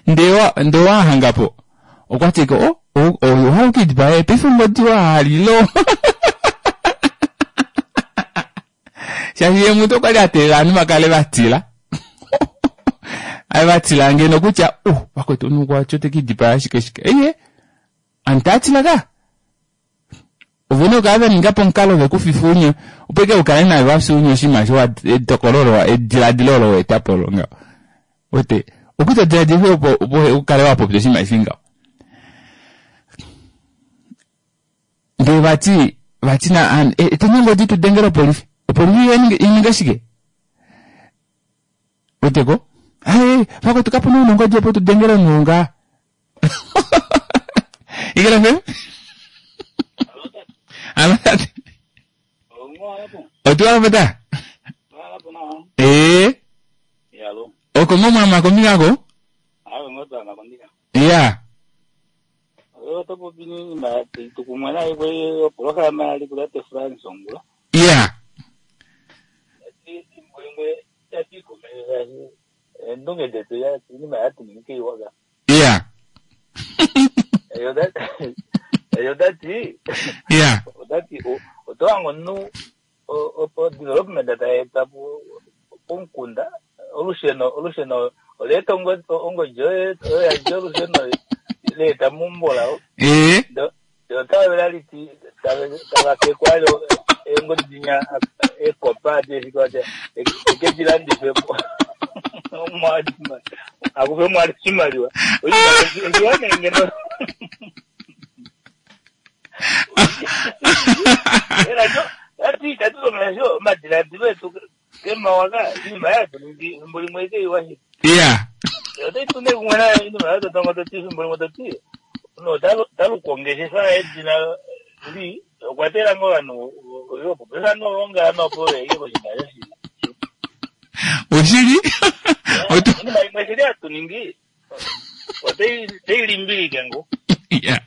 Ndee ndee owahangapo okwati ko oh, oh, oh, owa okidipaya paife ongodi wahalilo. Shaashi ye mutu okwali a teelela ovanhu va kale va tila. Ave va tila ngeno kutya uh vakwetu omunhu okwati ote kidipaya shike shike. Eye anhu taa tila ka. Ovene okukala va ninga po omukalo ve ku fifa ounye opo ike u kale naye wa fya ounye oshinima osho wa etokolo olo ediladilo olo wa eta po olo ngaho. Wete okuto diladila opo opo u kale wa popya oshinima eshi ngaho. Ndee vati vati na eteni ongodi tu dengele opolifi. Opolifi ininge shike? Weteko? Aye, vakwetu kapu na ongodi opo tu dengele omunhu ngaa. Igala FM? Alo tate. Otu pota? Ee. Oko ngo mwama kombinga ko? Ya. Oto popi niinima tukumwe naye kwe oprograma yali kulate France ongula. Ya. Ethimbo limwe yati eendunge detu iinima yatu ningi iwaga. Ya. Eyo otati Ya. otati oto hanga omunhu opo development tayi eta po pomukunda olusheno olusheno oleeta ongodi oyo yadja olusheno leeta meumbo lao. Ee. Yo otava laliti tava kekwa yo eengodi dinya ekopa adeshike eke di landife po. Akufe mwali oshimaliwa. Oshiwa nee ngeno. Ati komesho omadiladilo etu kemawaka iinima yatu ningi efimbo limwe eke iwa shi. Ya. Otai tu nee kumwe nayo iinima yato tongo toti efimbo limwe toti no taluka ongeshefa edina li okwa teela ngoo ovanhu opo pefano ongala nopo veike koshinima shoshi. Oshili? Iinima imwe shili hatu ningi otai limbilike ngo. Ya.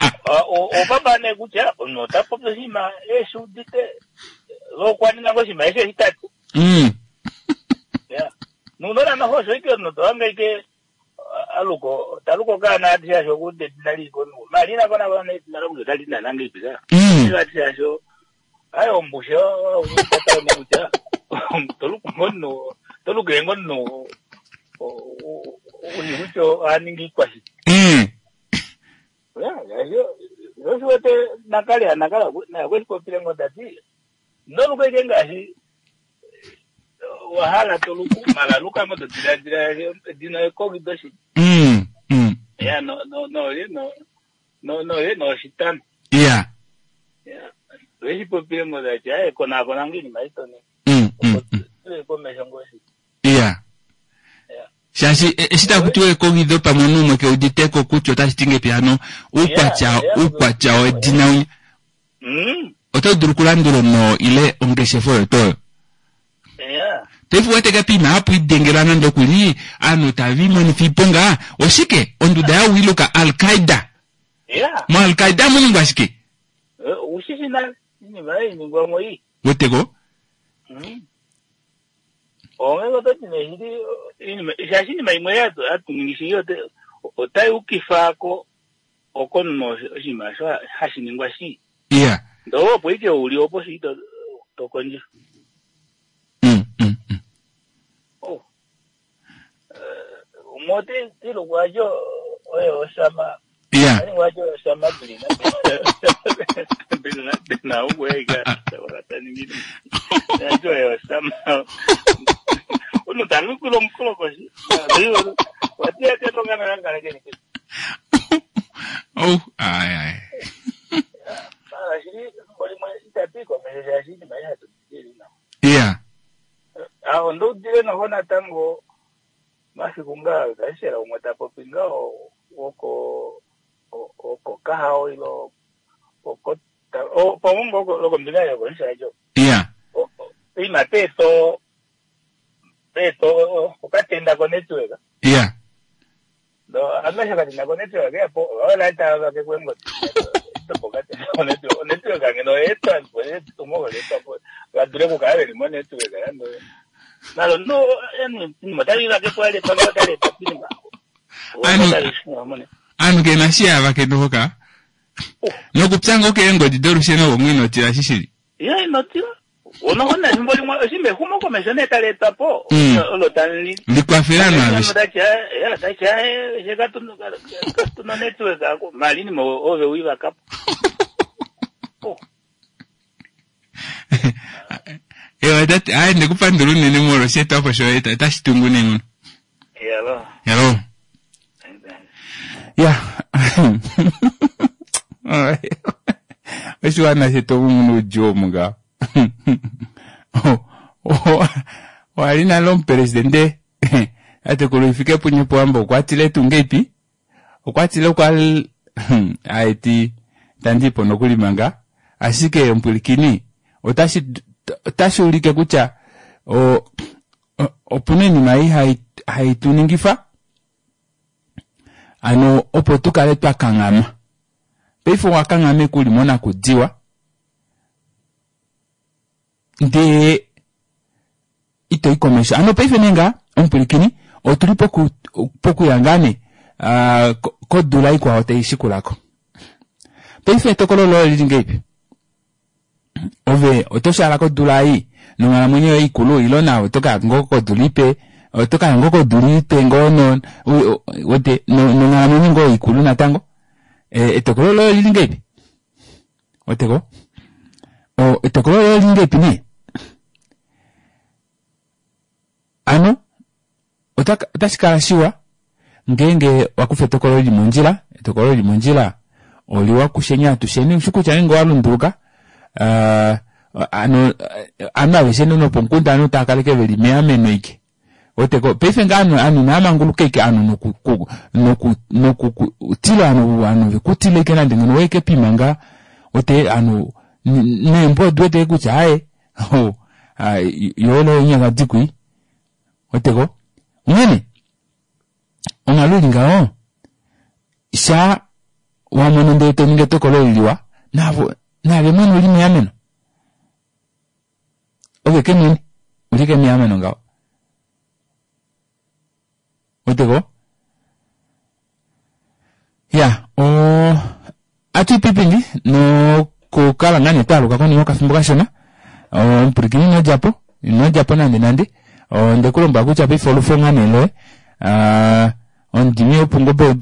Opapa nee kutya omunhu ota popi oshinima eshi udite okwa ninga ngo oshinima eshi eshi tati. Ya. Nuunona noho osho ike omunhu to hanga ike aluko taluko okaana ati shaashi okuuda edina lii komunhu. Mali ina konakona edina lomunhu otali ti naana ngeipi ka. Ati shaashi aye ombushe ounyitatane kutya toluku ngomunhu tolukile ngomunhu uli kutya ohaningi iikwashi. Ya, osho wete nakale nakala naye okweshi popile ngo tati noluka ike ngaashi wa hala toluku mala luka ngo to diladila edina ekogido shi. Ya no no no no no no no oshitano. Ya. Ya. Okweshi popile ngo tati aye konakona ngo iinima itoni. Opo komesho ngo shi. Ya. Shaashi eshi taku tiwa ekogido pamwe omunhu umwe ke uditeko kutya otashi ti ngepi hano uukwatya uukwatya wedina winya. Oto dulu okulandula no ile ongeshefa oyo toyo. Ya. Paife uwete ke piima hapu idengelwa nande okuli aanhu tava imonifa iiponga oshike onduda ya wiluka Al-Qaeda. Ya. Mo Al-Qaeda muningwa shike? Ushishi nale iinima ei ningwa mo iyi. Weteko? Onge otati nee shili iinima shaashi iinima imwe hatu ningi shili otai ukifa ko okomunhu oshinima osho hashi ningwa shi. Ya. Ndoo opo ike uli opo shi to to kondjifa. Oh. Umwe oti ti lukwajo oye Osama. Ya. Ani wajo Osama Bilina. Bilina Bilina uwega wakataningini. Yajo oye Osama. Uno talukilo mukolokoshi. Wati ati tongana ngana keni. Oh, ai ai. Mara shiri mbo itatu ikomesha shiri maisha tutiri na. Ya. Aho ndoudile noho natango masiku ngaa kaishela umwe ta popi ngaho woko oko kahao ilo oko pamwe lokombinga yokonishajo Ya. ima peto peto okatenda ko network Ya. ndo amesha katenda ko network yapo olaita vake kwengo okatenda ko network network ngeno etwa tumo letwa po vadule kukala veli mo network yando nalo no yani motali vake kwale pamwe tapinima Anu- Anu ke na shia vakendoka. Nokupya ngo keengodi dolusheno gomwe inotila shishili. ya inotila unoona ethimbo limwe oshimba ehumokomeho nee tali etwa po olo tali Likwafela anu aveshe. tacha katuna network ako malini mo ove uivakapo Ewa tati ai ndikupandula unene molwa osheetwapo shoye otashi tungu neenghono. yalo Hello. Ya. Oshiwana shetu omu muna oudjuu omu ngaho. Wali nale omupresidente tatekulu Hifikepunye Pohamba okwa tile tuu ngeipi? Okwa tile okwa aeti tandiipo nokuli manga ashike omupwilikini otashi otashi ulike kutya o opuna oinima ei hai hai tu ningifa ano opo tukale twa kanghama. Paife owa kanghama eke uli monakudiwa ndee ito i komesho. Ano paife nee nga omupwilikini otuli poku pokuya ngaa nee kodula ikwao tai shikulako. Paife etokolo loye olili ngeipi? Ove oto shaala kodula ei nonghalamwenyo yoye ikulu ilo nawe oto kaya ngoo kodula ipe oto kaya ngoo kodula ipe ngoo no wete nonghalamwenyo ngoo ikulu natango etokolo loye olili ngeipi? Weteko? Etokolo loye olili ngeipi nee? Ano otashi kala shiwa ngeenge wakufa etokolo lili mondjila, etokolo lili mondjila oliwa kusheni atusheni ushi kutya ngeenge owalunduluka ano ovanhu aveshe nopomukunda ovanhu tava kaleke veli meameno ike. Weteko paife ngaa ovanhu inavamanguluka ike ovanhu noku noku nokutila ovanhu vekutila ike nande ngeno waike pima ngaa wete ovanhu neembwa odiwete kutya aaye yoolo eenyaka dikwi weteko onghene onghalo ili ngaho sha wamono ndee toningi etokolo liliwa navo naave mwene uli meameno ove ke mwene uli ke meameno ngaho weteko ya o atuipipindi nokukala ngaa nee twaaluka konima yokafimbo kashona omupwilikini inodjapo inodjapo nande nande ondekulombwela kutya paife olufo ngaa nee loye omudimi wopungobe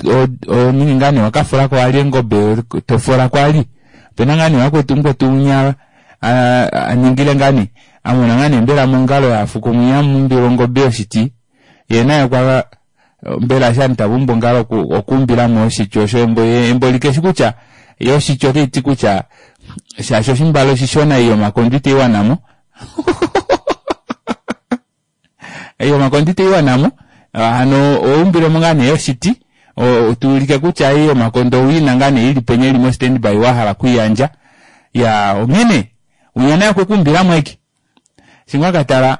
oningi ngaa nee wakafulako wali engobe tofola kwali opena ngaa nee wakwetu mukwetu unya aningile ngaa nee amona ngaa nee mbela mongalo yafuko mwinya amuumbile ongobe yoshiti yee naye okwa mbela eshi ovanhu tava umbu ongalo okuumbilamo oshiti osho embo embo likeshi kutya ye oshiti otaiti kutya shaashi oshimbale oshishona ei yomakondo itaiwanamo ei yomakondo itaiwanamo hano oumbilemo ngaa nee yoshiti tuulike kutya ei yomakondo owiina ngaa nee ili penya ili mo standby wahala okwiiyandja ya onghene unya naye okwekuumbilamo aike shimwe akatala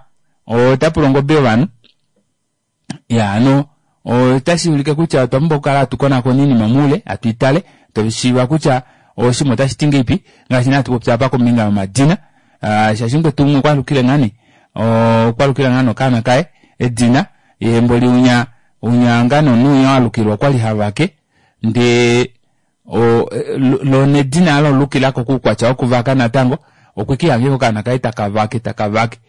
otapula ongobe yovanhu ya hano otashi ulike kutya otwa pumbwa okukala hatu konakona oinima moule hatu itale toshiiva kutya oshinima otashi ti ngeipi ngaashi nee hatu popi apa kombinga yomadina shaashi mukwetu umwe okwalukile ngaa nee okwalukila ngaa nee okaana kaye edina yee mboli unya unya ngaa nee omunhu unya walukilwa okwali havake ndee Lo nedina alo lukilako kuukwatya wokuvaka natango okwike ihange okaana kaye takavake takavake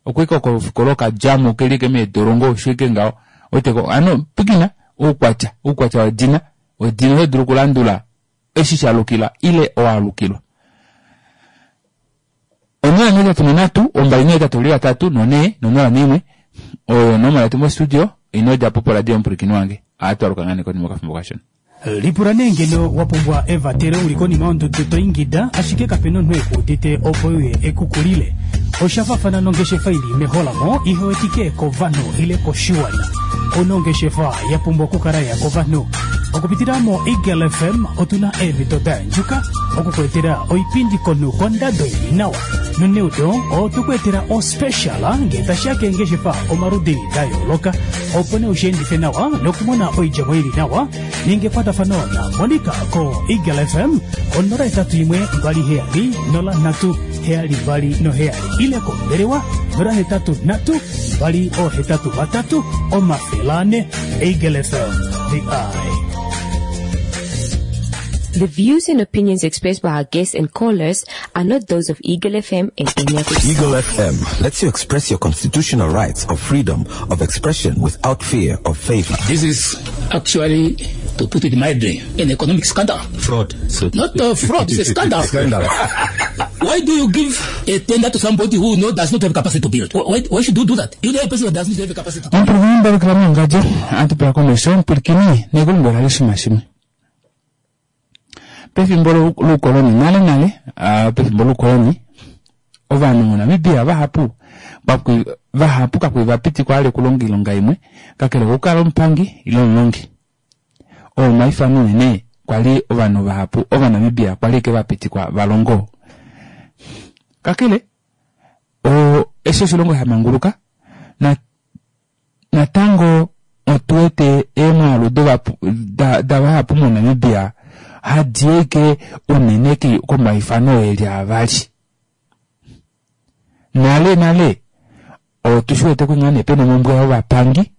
okwike kofikola okadjamo keli ike meedolongo osho ike ngaho weteko hano pwikina oukwatya oukwatya wedina wedina oto dulu okulandula eshi shalukila ile owalukilwa 083 283 4 no01 oyo onomola yetu mostudio ino djapo poradio omupwilikini wange ohatwaluka ngaa nee konima yokafimbo kashona. Lipula nee ngeno wa pumbwa evatelo u li konima yondudu to ingida ashike kape na omunhu e ku udite opo e uye e ku kulile. Osha faafana nongeshefa i li meholamo ihe wetike kovanhu ile koshiwana. Ou na ongeshefa ya pumbwa okukala ya kovanhu. Okupitila moEagle FM otu na eemhito da yandjuka oku ku etela oipindi komunhu kondado i li nawa. Noneudo otwe ku etela ospecial ngee tashi ya keengeshefa omaludi da yooloka opo nee ushi endife nawa nokumona oidjemo i li nawa. Ninga ekwatafano naMonica koEagle FM ko 081 27 03 72 ile kombelewa 083 283 400. Eagle FM, the eye. The views and opinions expressed by our guests and callers are not those of Eagle FM and any of its Eagle FM lets you express your constitutional rights of freedom of expression without fear of favor. This is actually, to put it mildly, an economic scandal. Fraud. So Not a fraud, it's a scandal. Scandal. Why do you give a tender to somebody who no, does not have capacity to build? Why should you do that? You know a person who does not have capacity to build. Omupwilikini mbalukila mongadjo ohatu pula komesho omupwilikini nekulombwela oshinima shimwe pefimbo loukoloni nale nale pefimbo loukoloni ovanhu moNamibia vahapu vahapu kakuli vapitikwa vali okulonga oilonga imwe kakele kokukala omupangi ile omulongi oo omaifano unene kwali ovanhu vahapu ovanamibia kwali ike vapitikwa valongo kakele eshi oshilongo shamanguluka Natango otu wete eemwaalu davahapu moNamibia hadi ashike unene komaifano oo eli avali. Nale nale otu shi wete kutya nee pena omhumbwe yovapangi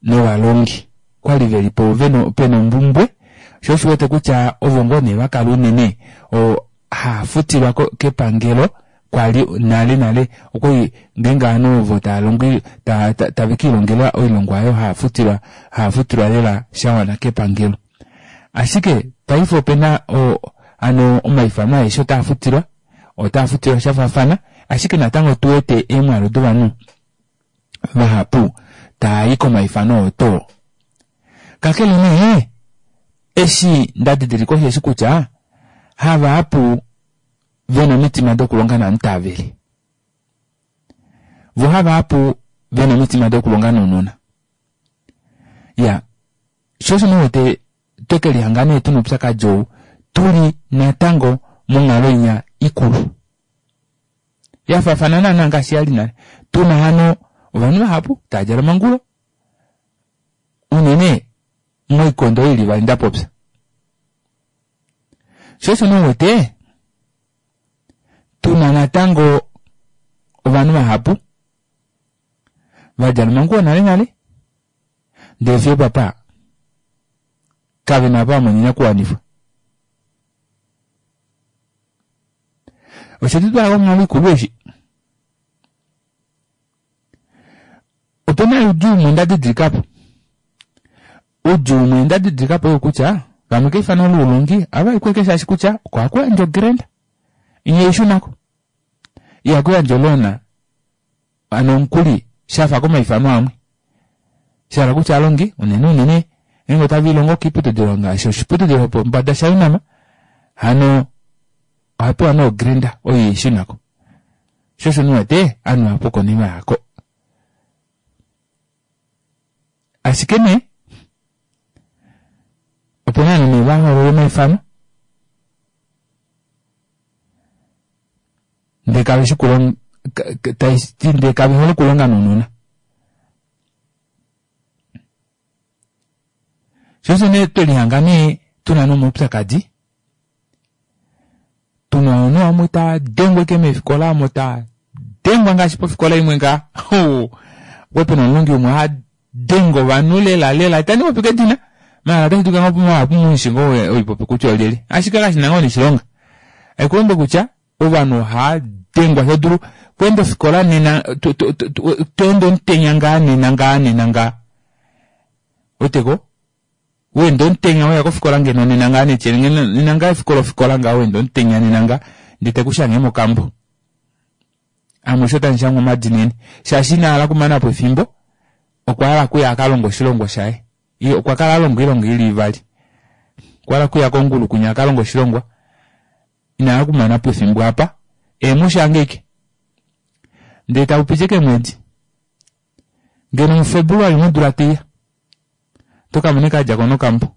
novalongi kwali veli po pena omhumbwe sho osho wete kutya ovo ngoo nee vakala unene haa futilwa kepangelo kwali nale nale okwali ngeenge ovanhu ovo tava longo tave kiilongela oilongwa aayo haa futilwa haa futilwa lela shawana kepangelo ashike paife opena hano omaifano aeshe otaa futilwa otaa futilwa shafaafana ashike natango otu wete eemwaalu dovanhu vahapu taayi komaifano oo too kakele nee eshi nda didilika osheshi kutya havahapu vena omitima dokulonga namutaaveli vo havahapu vena omitima dokulonga nounona ya sho osho nee wete tweke lihanga nee tuna oupyakadi ou tuli natango monghalo inya ikulu yafaafana naana ngaashi yali nale tuna hano ovanhu vahapu tava djala omangulo unene moikondo ili vali ndapopya Sho osho nee uwete tuna natango ovanhu vahapu va djala omanguwo nale nale ndele fiyo opapa kave na apa va mona oinakuwanifwa. Oshe tu twala konghalo ikulu eshi. Opena oudjuu umwe nda didilikapo. Oudjuu umwe nda didilikapo oyou kutya vamwe keifano loulongi ohava i kweke shaashi kutya oko haku yandje ogrenda inya ishunako. Ihaku yandje oloan hano omukuli shafa komaifano amwe. Shahala kutya aalongi unene unene ngeenge otave ilongo koiputudilo ngaashi oshiputudilo shopombada shaUnam hano oha pewa nee ogrenda oyo ihaishunako. Sho osho nee uwete anuwa pokonima yako. Ashike nee opena ovanhu nee va hoolola omaifano ndee kave shi kulonga tashi ndee kave hole okulonga nounona. Sho osho nee twelihanga nee tuna nomaupyakadi tuna ovanhu vamwe tava dengwa ashike meefikola omo tava dengwa ngaashi pofikola imwe ngaa okwali pena omulongi umwe ha denge ovanhu lela lela itandi popi kedina. Maala otashi dulika ngoo mahapu mushi ngoo oipopi kutya olyelye. Ashike kashi na ngoo neshilonga. Haikulombe kutya ovanhu ohaa dengwa todulu kweenda ofikola nena toende omutenya ngaa nena ngaa nena ngaa. Weteko? Weenda omutenya weya kofikola ngeno nena ngaa netyele ngeno nena ngaa efiku lofikola ngaa weenda omutenya nena ngaa ndee tekushange mokambo. Amushe otamu shangwa omadina eni shaashi ina hala okumanapo efimbo okwa hala okuya akalonge oshilongwa shaye. Ye okwa kala alonga oilonga ili ivali. Okwa hala okuya kongulu kwinya akalonge oshilongwa ina hala okumanapo efimbo apa eemushange ashike. Ndee taupiti ashike eemwedi ngeno muFebruary modula taiya oto kamona ashike adjako nokambo.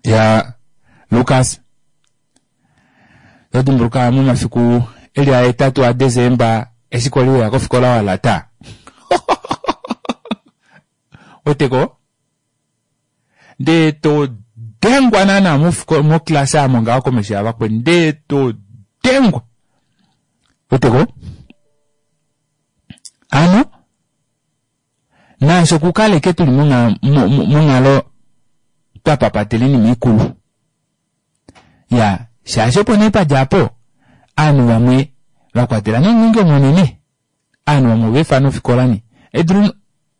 Ya Lukas oto dimbuluka momafiku eli ahetatu aDesemba eshi kwali weya kofikola walata. Weteko? Ndee to dengwa naana moclass aamo ngaho komesho yavakweni ndee to dengwa. Weteko? Hano naasho okukaleke tuli monghalo twa papatela oinima ikulu. Ya, shaashi opo nee padja apo, ovanhu vamwe vakwatela nomulungi omunene, ovanhu vamwe ova efa nofikola nee. Edulu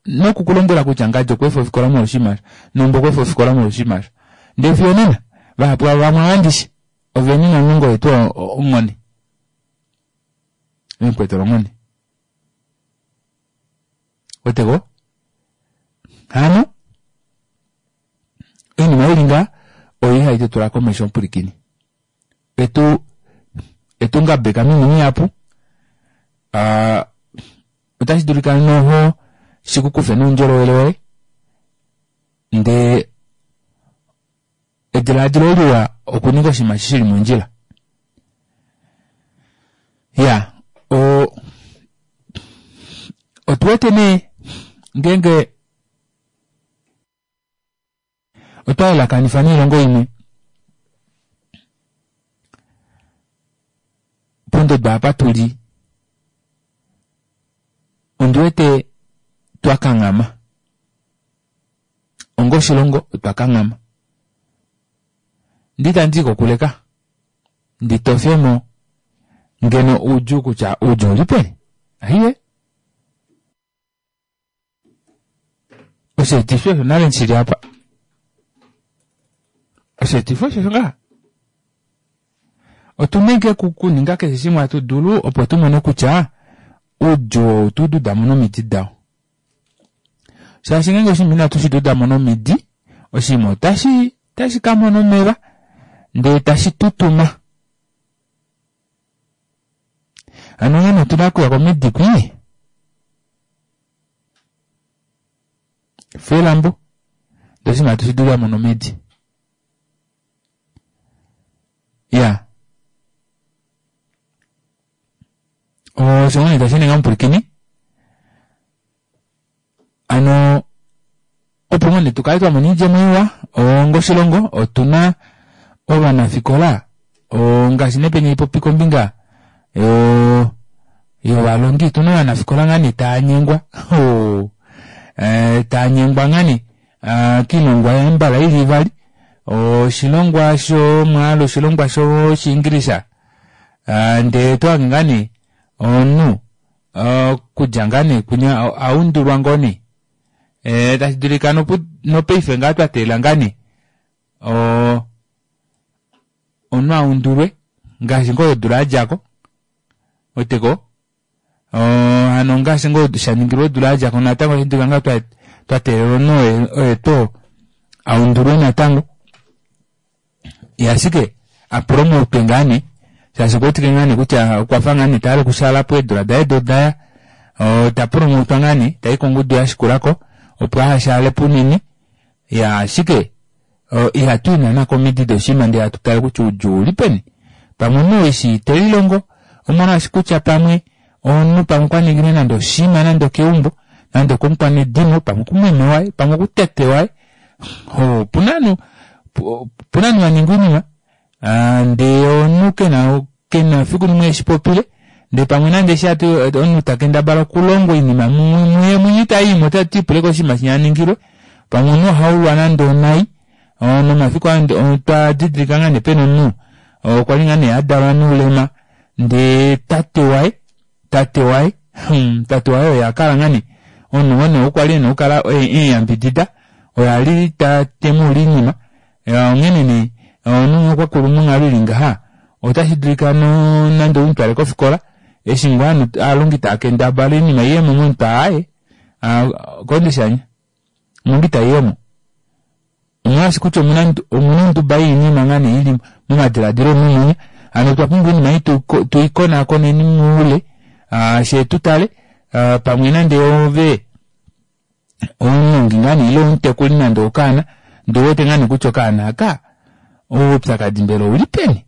noku kulombwela kutya ngadi okwa efa ofikola molwoshinima osho, nombo okwa efa ofikola molwoshinima osho. Ndee fiyo onena, vahapu vamwe ava ndishi, oveni nomulungi oye tuu onghone. Vemukweetela onghone. Weteko? Hano, oinima ili ngaa oyo ihai tu tula komesho omupwilikini. Etu etu ngabeka moinima ihapu. Otashi dulika noho shi ku kufe noundjolowele woye. Ndee edilaadilo liwa okuninga oshinima shi li mondjila. Ya, o otu wete nee ngeenge otwa yelakanifa noilongo imwe pondodo apa tu li ondi wete twa kanghama onga oshilongo otwa kanghama ndi itandi i kokuleka ndi tofemo ngeno oudjuu kutya oudjuu uli peni aiye Osheetifi osho nale shili apa. Osheetifi osho ngaha. Otu na ike okuninga keshe shimwe hatu dulu opo tu mone kutya oudjuu ou tu duda mo nomidi dao. Shaashi ngeenge oshinima inatu shi duda mo nomidi, oshinima otashi otashi ka mona omeva ndee tashi tutuma. Hano onghee otu na okuya komidi kwii. Felambo ndee oshinima atu shi dulu amona omidi. Ya. Osho ngoo nee tashi ninga omupwilikini. Ano opo ngoo nee tukale twa mona oidjemo iwa ongoshilongo otuna ovanafikola ngaashi nee penya ipopi kombinga yo yovalongi otuna ovanafikola ngaa nee taanyengwa taanyengwa ngaa nee kiilongwa yambala ili ivali oshilongwa shomwaalu oshilongwa shoshiingilisha ndee tohange ngaa nee omunhu okudja ngaa nee kwinya aundulwa ngoo nee eh, tashi dulika nopaife ngaa twa teelela ngaa nee omunhu aundulwe ngaashi ngoo odula yadjako weteko hano ngaashi ngoo sha ningilwe odula yadjako natango otashi dulika ngaa twa teelela omunhu oye tuu aundulwe natango Ye ashike a pulomotwe ngaa nee shaashi okwa wetike ngaa nee kutya okwa fa ngaa nee ta hala okushaala po eedula daye do daya ta pulomotwa ngaa nee tayi kongudu ya shikulako opo aha shaale po unene ya ashike ihatu i naana komidi doshinima ndee hatu tale kutya oudjuu ouli peni pamwe omunhu eshi te lilongo omolwaashi kutya pamwe omunhu pamwe okwa ningile nande oshinima nande okeumbo nande okomukwanedimo pamwe okumeme waye pamwe okutete waye opuna ovanhu opuna ovanhu va ninga oinima ah, ndee omunhu kena kena fiku limwe eshi popile ndee pamwe nande eshi ati omunhu ta kendabala okulonga oinima muye mwene ita iimo ota ti pule koshinima shinya aningilwe. Pamwe omunhu ohaulwa nande onai, nomafiku aa otwa didilika ngaa nee pena omunhu okwa li ngaa nee adalwa noulema ndee tate waye tate waye tate waye oye akala ngaa nee omunhu ngo nee okwa li ena okukala oye emuyambidida oye ali temuule oinima onghene nee omunhu okwa kulu monghalo ili ngaha otashi dulika nande umutwale kofikola eshi ngoo ovanhu ovalongi taakendabala oinima iyemo momutwe aaye kondishanya omongi itaiyemo omolwaashi kutya omuna onduba yoinima ngaa nee ili momadiladilo omunhu munya hano otwa pumbwa oinima ei tuikonakoneni moule shee tutale pamwe nande ove omulongi ngaa nee ile omutekuli nande okaana ndee ouwete ngaa nee kutya okaana aka oupyakadi mbela ouli peni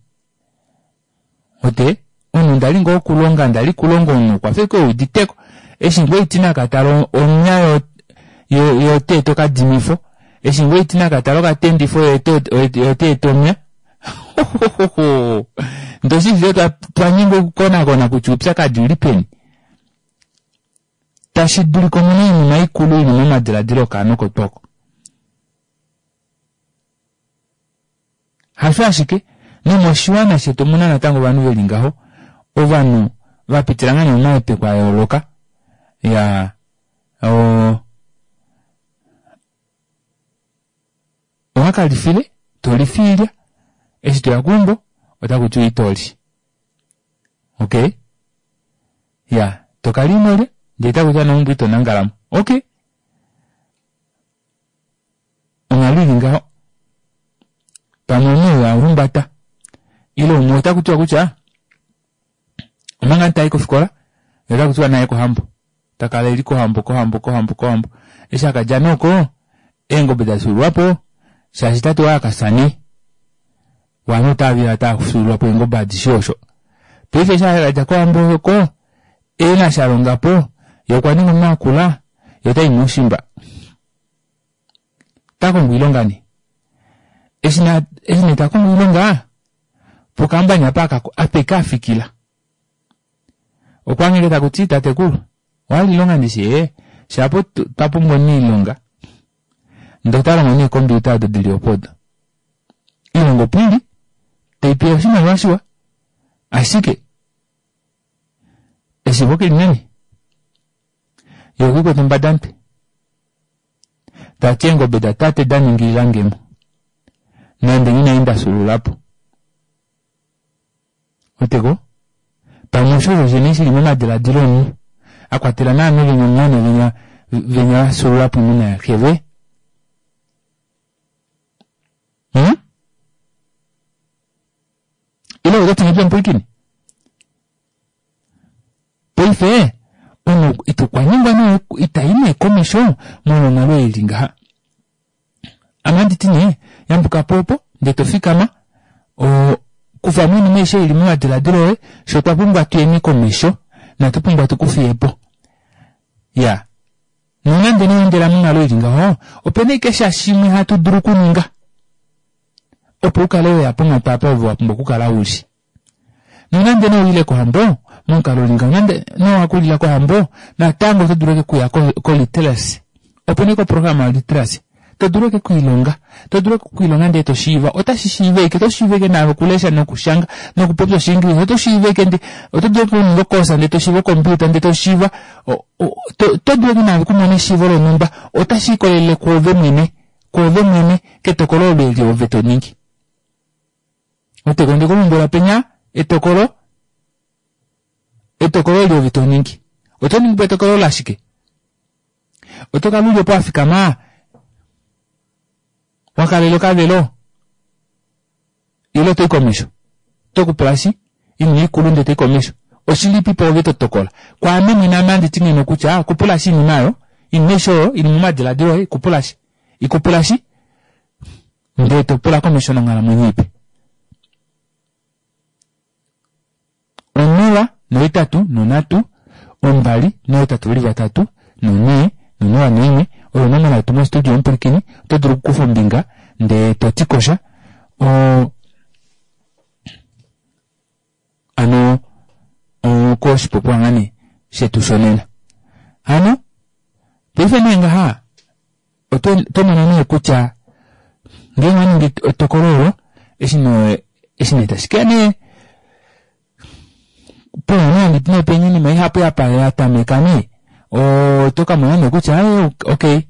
Ote, omunhu ndali ngoo okulonga ndali kulonga omunhu okwafa ashike euditeko eshi ngoo iti nakatala onya yo yo oteeta okadimifo eshi ngoo iti nakatala okatendifo ye oteeta omya ndee oshili twanyengwa okukonakona kutya oupyakadi ouli peni tashi dulika omuna oinima ikulu ili momadiladilo okaana oko tuu oko. Hasho ashike, nomoshiwana shetu omuna natango ovanhu veli ngaho, ovanhu vapitila ngaa nee momahepeko ayooloka, iyaa oo owakalifile tolifa oilya, eshi toya keumbo otakutiwa itoli. Okay, iyaa tokala inolya ndee takutiwa meumbo ito nangalamo. Okay. Onghalo ili ngaho pamwe omunhu ou a humbata ile umwe otaku tiwa kutya omanga tayi kofikola ye otaku tiwa naye kohambo ta kala eli kohambo kohambo kohambo kohambo eshi akadja nee oko eengobe da fyuululwapo shaashi tate waye akafya nee ovanhu otava tava fyuululwapo eengobe adishe osho paife eshi akadja kohambo oko ena shalongapo ye okwa ninga omunhu akula ye otayi moushimba ta kongo oilonga nee eshi nee ta kongo oilonga pokambani apa ape afikila okwa ngheke takuti tatekulu owahala oilonga ndishi ee shapo twa pumbwa omuniilonga ndee ota longo neekompiuta odo dili opo odo oilonga opo ili taipewa oshimaliwa shiwa ashike eshiivo keli nani Ye okwiikwete ombadamutwe. Ta ti eengobe datate da ningilila nge mo. Nande inai nda fyuulula po. Wete ko? Pamwe osho osho shene shi li momadiladilo omunhu. A kwatela naame venya omumwene venya venya va fyuulula po oimuna yaxe ve. Hmm? Ile oto ti ngahelipi omupwilikini? Paife omunhu okwa nyengwa nee itayi nee komesho molwa onghalo ei ili ngaha. Ame ohandi ti nee yambuka po opo ndee to fikama kufa mo oinima aishe ili momadiladilo oye fye otwa pumbwa tuyeni komesho inatu pumbwa tuku fiye po. Iyaa nonande nee owa endela monghalo ili ngaho opena ashike sha shimwe hatu dulu okuninga opo ukale weya ponghatu apa ove wapumbwa okukala uli. Nonande nee ouyile kohambo, momukalo uli ngaho, nande nee owakulila kohambo, natango oto dulu ashike okuya ko-literacy. Opo nee koprograma yo-literacy, to dulu ashike okwiilonga, to dulu ashike okwiilonga ndee to shiiva, otashi shiiva ashike, oto shiiva ashike naave okulesha nokushanga nokupopya Oshiingilisa, oto shiiva ashike ndee oto dulu ashike okuninga okosa ndee to shiiva okompiuta ndee to shiiva, oto dulu ashike naave okumona eshiivo lonhumba, otashi likolelele kwoove mwene, kwoove mwene, ketokolo olo eli ove to ningi. Oteko onde ku lombwela penya etokolo etokolo eli ove to ningi. Oto ningi po etokolo lashike? Oto kala uli opo wa fikama wa kalela okavelo ile oto i komesho? Oto kupula shi inima ikulu ndee to i komesho. Oshilipi po ove to tokola? Kwaame mwene ame handi ti ngeno kutya kupula shi inima oyo, inima aishe oyo ili momadiladilo oye kupula shi. Ikupula shi ndee to pula komesho nonghalamwenyo ipe. 0 nohetatu nonhatu ombali nohetatu veli vatatu nonhee nonola noimwe oyo onomola yetu mostudio omupwilikini oto dulu okukufa ombinga ndee to ti kosha o ano koshipopiwa ngaa nee shetu shonena. Hano paife nee ngaha. Oto mono nee kutya ngeenge owa ningi etokolo olo, eshi nee eshi nee tashi keya nee pena nee nee pena oinima ihapu ya tameka nee oto ka mona nee kutya eh, okay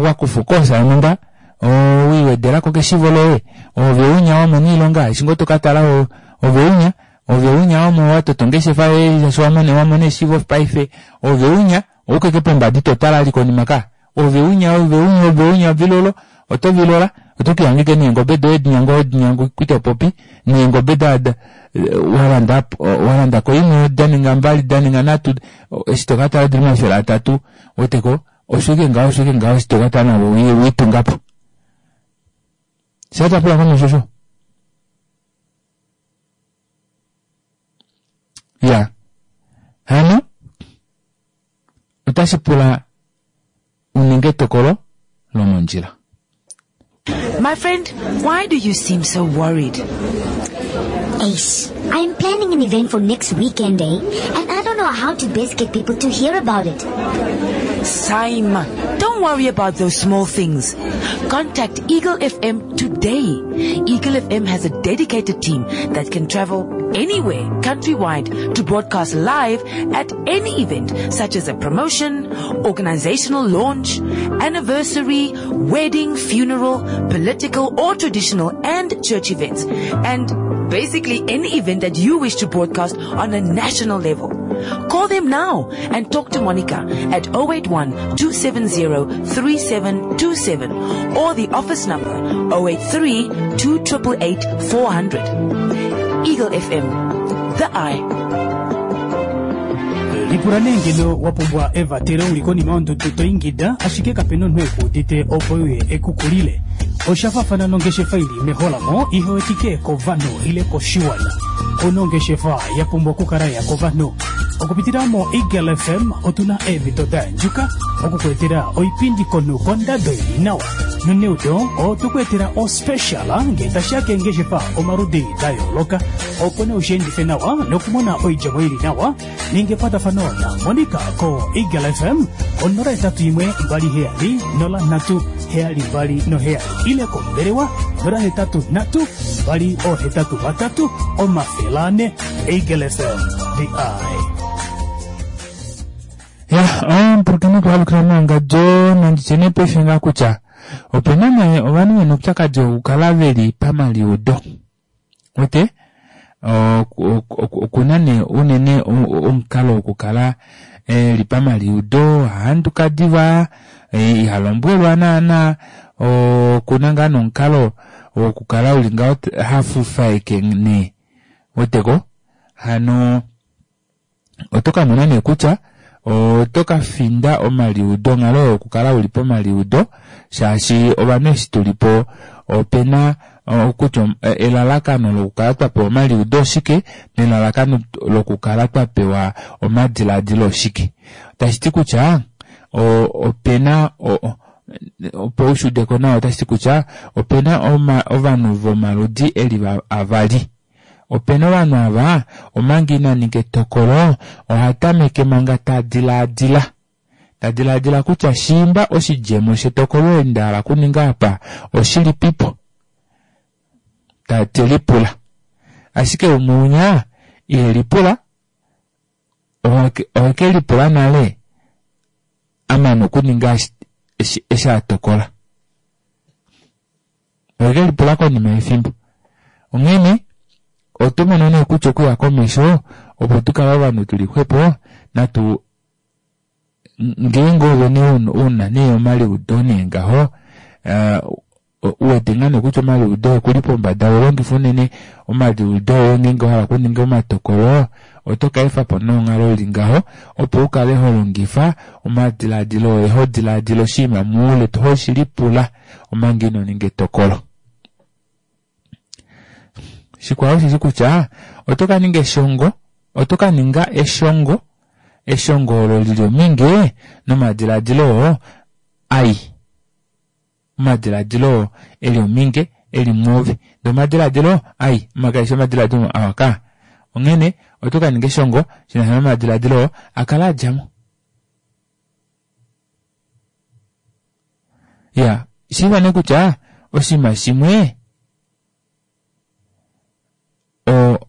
wakufa okoosa yonhumba wiiwedelako keshivo loye ove unya wamona oilonga eshi ngoo tokatala ove unya ove unya watota ongeshefa yoye shaashi wamona eshivo paife ove unya oukeke pombada ito tala vali konima ka ove unya ove unya ove unya vilolo oto vilola oto kihangike neengobe doye dinyango dinyango kwito popi neengobe da walanda walandako imwe daninga mbali daninga nhatu eshi tokatala dili 300 weteko osho ngaho osho ngaho eshi tokatala navo wiitungapo shatapula komesho sho ya hano otashi pula uninge etokolo lomondjila. My friend, why do you seem so worried? Ace, I'm planning an event for next weekend, eh? And I don't know how to best get people to hear about it. Saima, don't worry about those small things. Contact Eagle FM today. Eagle FM has a dedicated team that can travel anywhere, countrywide, to broadcast live at any event, such as a promotion, organizational launch, anniversary, wedding, funeral, political or traditional and church events, and basically any event that you wish to broadcast on a national level. Call them now and talk to Monica at 081 270 3727 or the office number 083 2888 400. Eagle FM, the eye. Lipula nee ngeno wa pumbwa evatelo uli konima yondudu to ingida ashike kapena omunhu ekuudite opo uye ekukulile. Osha faafana nongeshefa ili meholamo ihe wetike kovanhu ile koshiwana. Kuna ongeshefa ya pumbwa okukala ya kovanhu. Okupitila mo Eagle FM otuna eemhito da yandjuka okukuetela oipindi konhu kondado ili nawa. Noneudo otukuetela ospecial ngee tashiya keengeshefa omaludi da yooloka opo nee ushiendife nawa nokumona oidjemo ili nawa. Ninga ekwatafano na Monica ko Eagle FM ko 081 27 03 72 ile kombelewa 083 283 400. Eagle FM, the eye. Ya, ompulukeni okuhalukila mowangadjo nanditye nee paife ngaa kutya opena nee ovanhu vena oupyakadi wokukala veli pamaliudo. Wete okuna nee unene omukalo wokukala eli pamaliudo ohahanduka diva iha lombwelwa naana okuna ngaa nomukalo wokukala uli ngaho hafufaeke nee weteko hano oto kamona nee kutya oto kafinda omaliudo onghalo yokukala uli pomaliudo shaashi ovanhu eshi tulipo opena kutya elalakano lokukala twapewa omaliudo oshike nelalakano lokukala twapewa omadiladilo oshike tashiti kutya opena opo ushudeko nawa otashiti kutya opena ovanhu vomaludi eli avali. Opena ovanhu ava omanga ina ninga etokolo oha tameke manga ta dilaadila ta dilaadila kutya shiimba oshidjemo shetokolo eli nda hala okuninga apa oshilipipo te lipula ashike umwe unya ihe lipula oheke lipula nale amana okuninga eshi atokola oheke lipula konima yefimbo onghene oto mono nee kutya okuya komesho opo tukale ovanhu tuli xwepo natu ngeenge ove nee una nee omaliudo nee ngaho uwete ngaa nee kutya omaliudo okuli pombada ulongifa unene omaliudo oye ngeenge wahala okuninga omatokolo oto ka efapo nonghalo ili ngaho opo ukale holongifa omadiladilo oye hodilaadila oshinima moule hoshilipula omanga ino ninga etokolo. Shikwao osheshi kutya oto ka ninga eshongo oto ka ninga eshongo eshongo olo lili ominge nomadiladilo oo ai omadiladilo oo eli ominge eli mwoove ndee omadiladilo ai makaeshi omadiladilo awa ka onghene oto ka ninga eshongo shinasha nomadiladilo oo akala adjamo. Ya, shiiva nee kutya oshinima shimwe o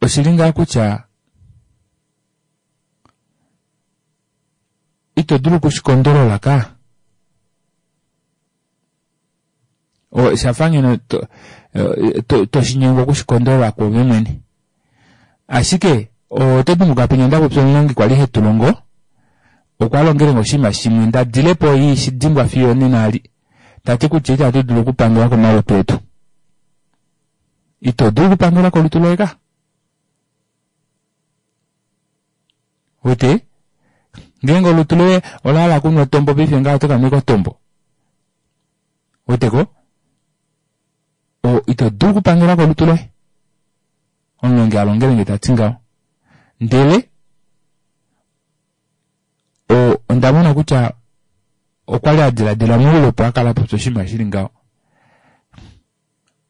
oshili ngaa kutya ito dulu okushikondolola ka. O, shafa ngeno to, to, to shinyengwa okushikondolola kwoove mwene. Ashike, oto dimbuka penya nda popya omulongi kwali he tu longo, okwa longele nge oshinima shimwe nda dile po ishi dimbwa fiyo onena ali. Ta ti kutya itatu dulu okupangela komalutu etu. Ito dulu okupangela kolutu loye ka. Wete? Ngeenge olutu loye ola hala okunwa otombo paife ngaha oto ka nwa otombo. Wete ko? O, ito dulu okupangela kolutu loye. Omulongi a longele nge ta ti ngaho. Ndele o, onda mona kutya okwa li a diladila moule opo a kala a popya oshinima shi li ngaho.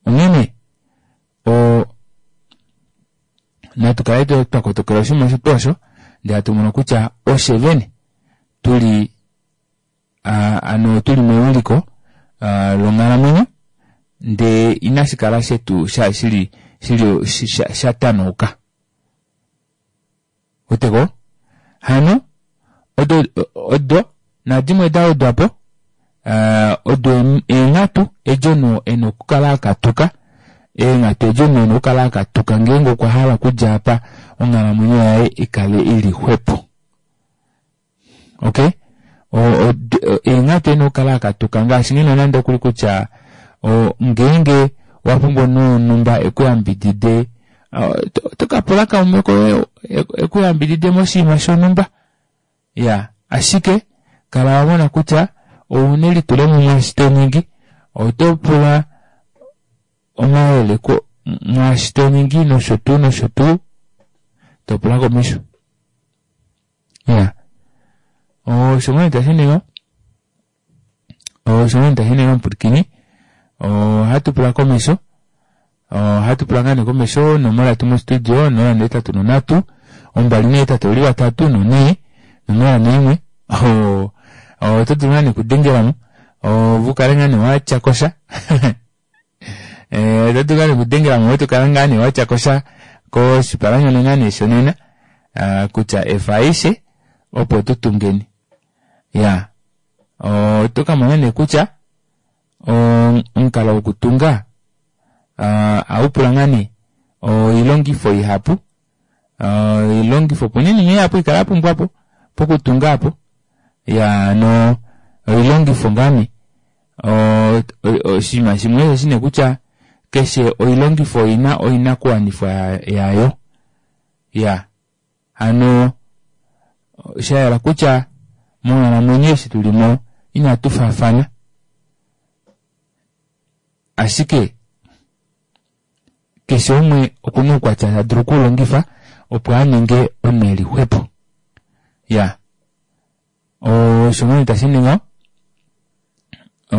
Onghene o, natu kale twa kotokela oshinima osho tuu osho, ndele hatu mono kutya oshe vene tu li ano tu li mewiliko longhalamwenyo ndee inashi kala shetu sha shili shili sha tanauka. Weteko? Hano odo odo nadimwe da wedwa po odo eenghatu edi omunhu e na okukala a katuka eenghatu edi omunhu e na okukala a katuka ngeenge okwa hala okudja apa onghalamwenyo yaye i kale i li xwepo. Okay? Eenghatu e na okukala a katuka ngaashi ngeno nande okuli kutya ngeenge wa pumbwa omunhu wonhumba e ku yambidide oto ka pula kaume koye e ku yambidide moshinima shonhumba. Ya, ashike kala wa mona kutya ou na elitulemo mwaashi to ningi, oto pula omayele mwaashi to ningi nosho tuu nosho tuu, to pula komesho. Ya, osho ngoo nee tashi ningwa, osho ngoo nee tashi ningwa omupwilikini, ohatu pula komesho. Ohatu pula ngaa nee komesho onomola yetu mostudio 083 283 4 041 oto dulu ngaa nee okudengela mo ove ukale ngaa nee watya kosha eh, oto dulu ngaa nee okudengela mo to kala ngaa nee watya kosha koshipalanyole ngaa nee shonena ah, kutya efa aishe opo tu tungeni ya oto ka mona nee kutya omukalo wokutunga ohawu pula ngaa nee oilongifo ihapu oilongifo opo nee iinima ihapu ikala ya pumbwa po pokutunga apo ya no oilongifo ngaa nee oshinima shimwe osho shine kutya keshe oilongifo oina oinakuwanifwa yayo ya Hano sha yela kutya monghalamwenyo eshi tu li mo inatu faafana. Ashike keshe umwe oku na oukwatya ta dulu okuulongifa opo a ninge omunhu e li xwepo. Ya. Osho ngoo nee tashi ningi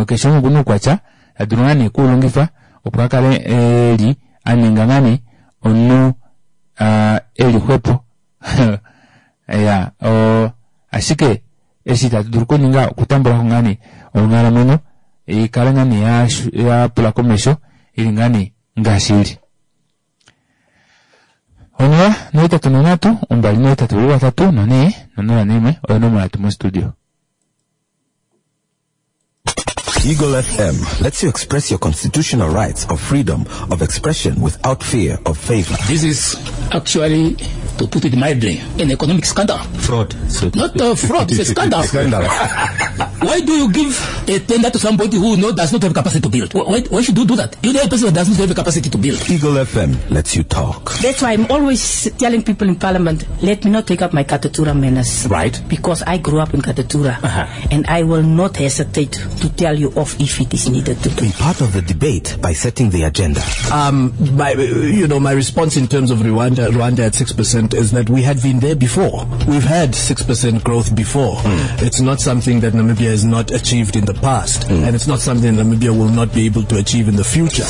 keshe umwe oku na oukwatya ta dulu ngaa nee okuulongifa opo a kale e li a ninga ngaa nee omunhu e li xwepo. Ya, ashike eshi tatu dulu okuninga okutambula ko ngaa nee onghalamwenyo i kale ngaa nee ya pula komesho i li ngaa nee ngaashi i li. 0 83 283 4 041 oyo onomola yetu mostudio. Eagle FM lets you express your constitutional rights of freedom of expression without fear of favor. This is actually, to put it mildly, an economic scandal. Fraud. So Not a fraud, it's a scandal. Scandal. Why do you give a tender to somebody who does not have capacity to build? Why should you do that? You know a person who does not have the capacity to build. Eagle FM lets you talk. That's why I'm always telling people in Parliament, let me not take up my Katutura manners. Right. Because I grew up in Katutura. And I will not hesitate to tell you off if it is needed to. Be part of the debate by setting the agenda. My response in terms of Rwanda at 6% is that we had been there before. We've had 6% growth before. It's not something that Namibia has not achieved in the past, and it's not something that Namibia will not be able to achieve in the future.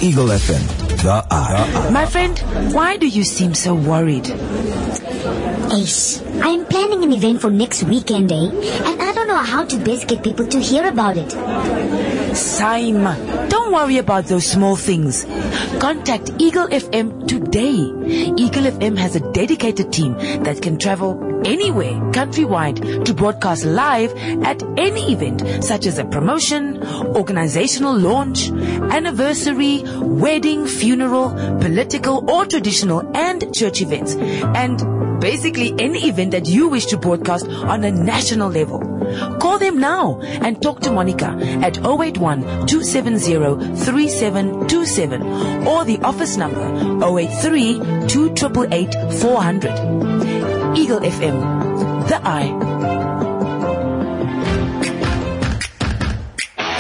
Eagle FM, the eye. My friend, why do you seem so worried? Ace, I am planning an event for next weekend, eh? And I don't know how to best get people to hear about it. Saima, don't worry about those small things. Contact Eagle FM today. Eagle FM has a dedicated team that can travel anywhere countrywide to broadcast live at any event such as a promotion, organizational launch, anniversary, wedding, funeral, political or traditional and church events. And basically any event that you wish to broadcast on a national level. Call them now and talk to Monica at 081 270 3727 or the office number 083 2888 400. Eagle FM, the eye.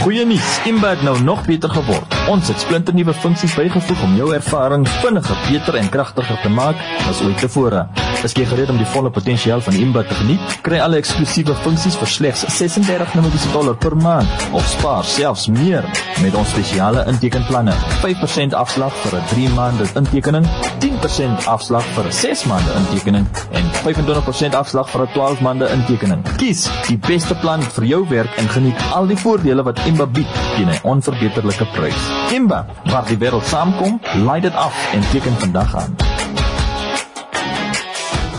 Goeie nuus, Imba het nou nog beter geword. Ons het splinternuwe funksies bygevoeg om jou ervaring vinniger, beter en kragtiger te maak as ooit tevore. Is jy gereed om die volle potensiaal van Imba te geniet? Kry alle eksklusiewe funksies vir slegs 36 Namibiese dollar per maand of spaar selfs meer met ons spesiale intekenplanne. 5% afslag vir 'n 3 maande intekening, 10% afslag vir 'n 6 maande intekening en 25% afslag vir 'n 12 maande intekening. Kies die beste plan vir jou werk en geniet al die voordele wat Imba bied teen 'n onverbeterlike prys. Imba, waar die wêreld saamkom, laai dit af en teken vandag aan.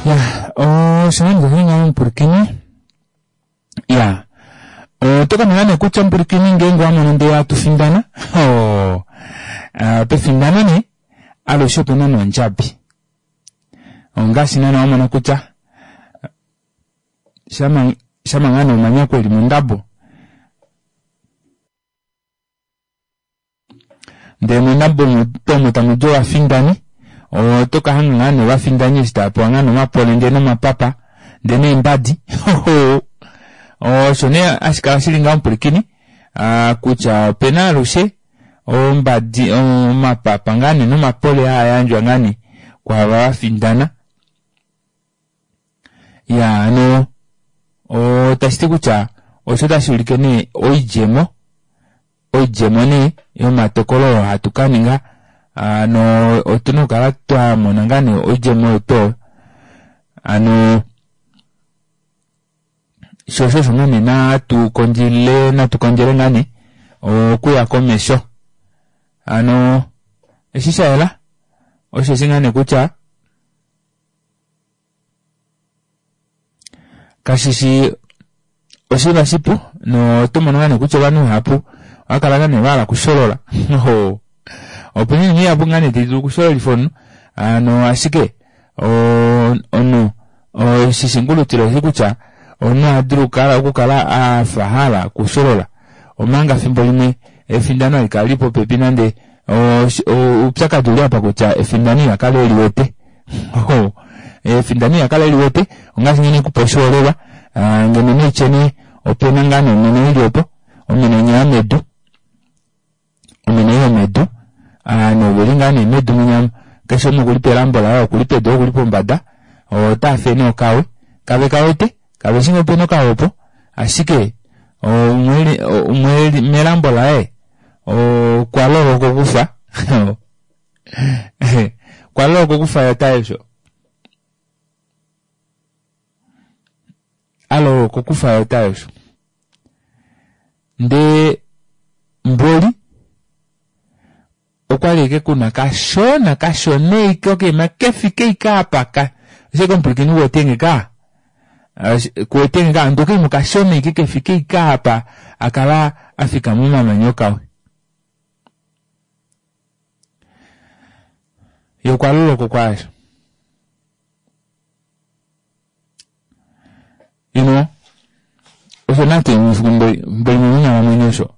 Ya, oshinango mpurikini ya otoka nee kutya mpurikini ngeenge wamono ndee atufindana oh, pefindano nee alushe opena nondjabi ongaashi naana wamona kutya shama shama ngaa nee omanyakwa eli mondabo ndee mondabo omo tamudi ovafindani otoka hanga ngaa nee ovafindani eshi taapewa ngaa nee omapole ndee nomapapa ndee neembadi osho nee hashi kala shili ngaho mupulikini kutya opena alushe ombadi omapapa ngaa nee nomapole haayandjwa ngaa nee kwaava vafindana ya hano otashiti kutya osho otashi ulike nee oidjemo oidjemo nee yomatokolo oo hatu kaninga hano otuna okukala twamona ngaa nee oidjemo oyo tuu hano sho osho osho ngaa nee natu kondjile natu kondjele ngaa nee okuya komesho hano eshi shayela osheshi ngaa nee kutya kashishi oshinima shipu noto mono ngaa nee kutya ovanhu vahapu ohava kala ngaa nee vahala okusholola opena oinima ihapu ngaa nee tayi dulu okushololifa omunhu hano ashike omunhu oshishingulutilo oshi kutya omunhu ohadulu okukala afa ahala okusholola omanga fimbo limwe efindano hali kala lili popepi nande oupyakadi ouli apa kutya efindano ihakala eliwete efindano ihakala eliwete ongaashi nghene ekupa oshiholelwa ngeno neitye nee opena ngaa nee omeno ili opo omeno inya yomedu omeno yomedu ovanhu oveli ngaa nee medu munya keshe umwe okuli pelambo laye okuli pedu okuli pombada otaafe nee okawe kave kawete kaveshi ngee opena okawe opo ashike umwe eli melambo laye okwa loloka okufa okwa loloka okufa yota osho aloloka okufa yota osho ndee mboli okwali eke kuna kashona kashona ike okaima kefike ike apa ka ashike omupulikini kuwetenge ka kuwetenge ka ndee okaima okashona ike kefike ike apa akala afika momamanya okawe ye okwa loloka okwaasho you know osho nate mboli monghalamwenyo osho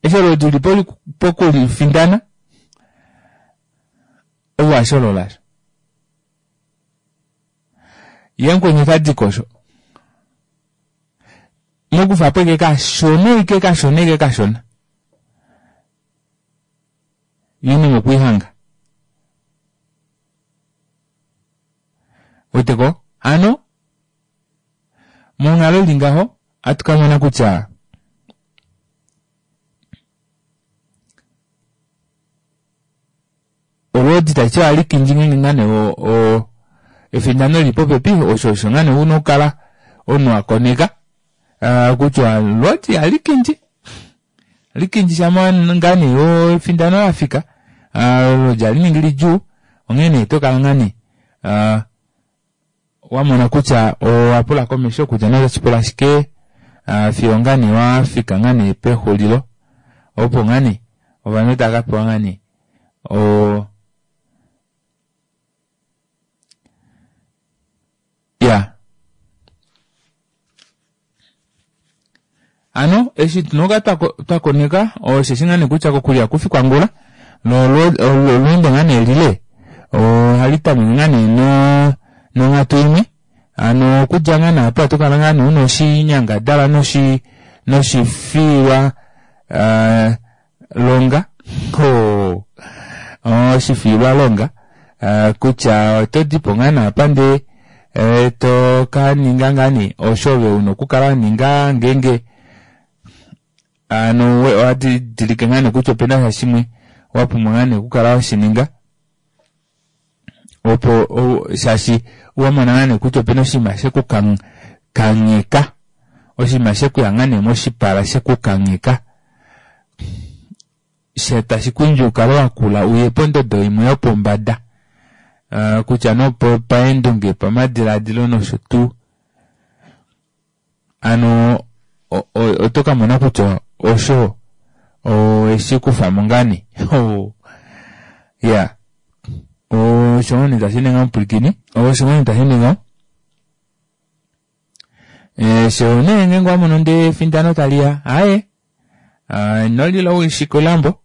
eshi olodi uli pokulifindana ove washolola sho ye mukweni otadiko osho mokufapo ike kashona ike kashona ike kashona yini mokwihanga weteko hano monghalo ili ngaho ohatu kamona kutya olwoodi tashiti ohali kindji ngeenge ngaa nee Efindano li popepi osho osho ngaa nee una okukala omunhu wa koneka ah, kutya loti alikindji alikindji shama ngaa nee efindano lafika ah, lodi ali ningi lidjuu onghee nee to kala ngaa nee ah, wa mona kutya owa pula komesho kutya nee otashi pula shike ah, fiyo ngaa nee wafika ngaa nee pexulilo opo ngaa nee ovanhu tava ka pewa ngaa nee o ya ano eshi tunoka twa koneka osheshi ngaa nee kutya kokulya kufi kwangula lolweendo ngaa nee lile ohali tameke ngaa nee no nonghatu imwe ano okudja ngaa nee apa oto kala ngaa nee una oshinyangadalwa noshi noshifiilwa uh, longa oh, oshifiilwa longa uh, kutya oto dipo ngaa naapa ndee eh, to ka ninga ngaa nee osho ove una okukala wa ninga ngeenge ano owa didilike ngaa nee kutya opena sha shimwe wa pumbwa ngaa nee okukala washininga opo shaashi wa mona ngaa nee kutya opena oshinima sheku kangheka oshinima shekuya ngaa nee moshipala sheku kangheka she tashi ku indji ukale wakula uye pondodo imwe yopombada uh, kutya nopo paendunge pamadiladilo nosho tuu ano oto ka mona kutya osho oweshi kufamo ngaa nee ya osho ngoo nee tashi ninga omupwilikini osho ngoo nee tashi ninga eh, sho nee ngeenge wamono ndee efindano taliya aye ah, ino lila oishikulambo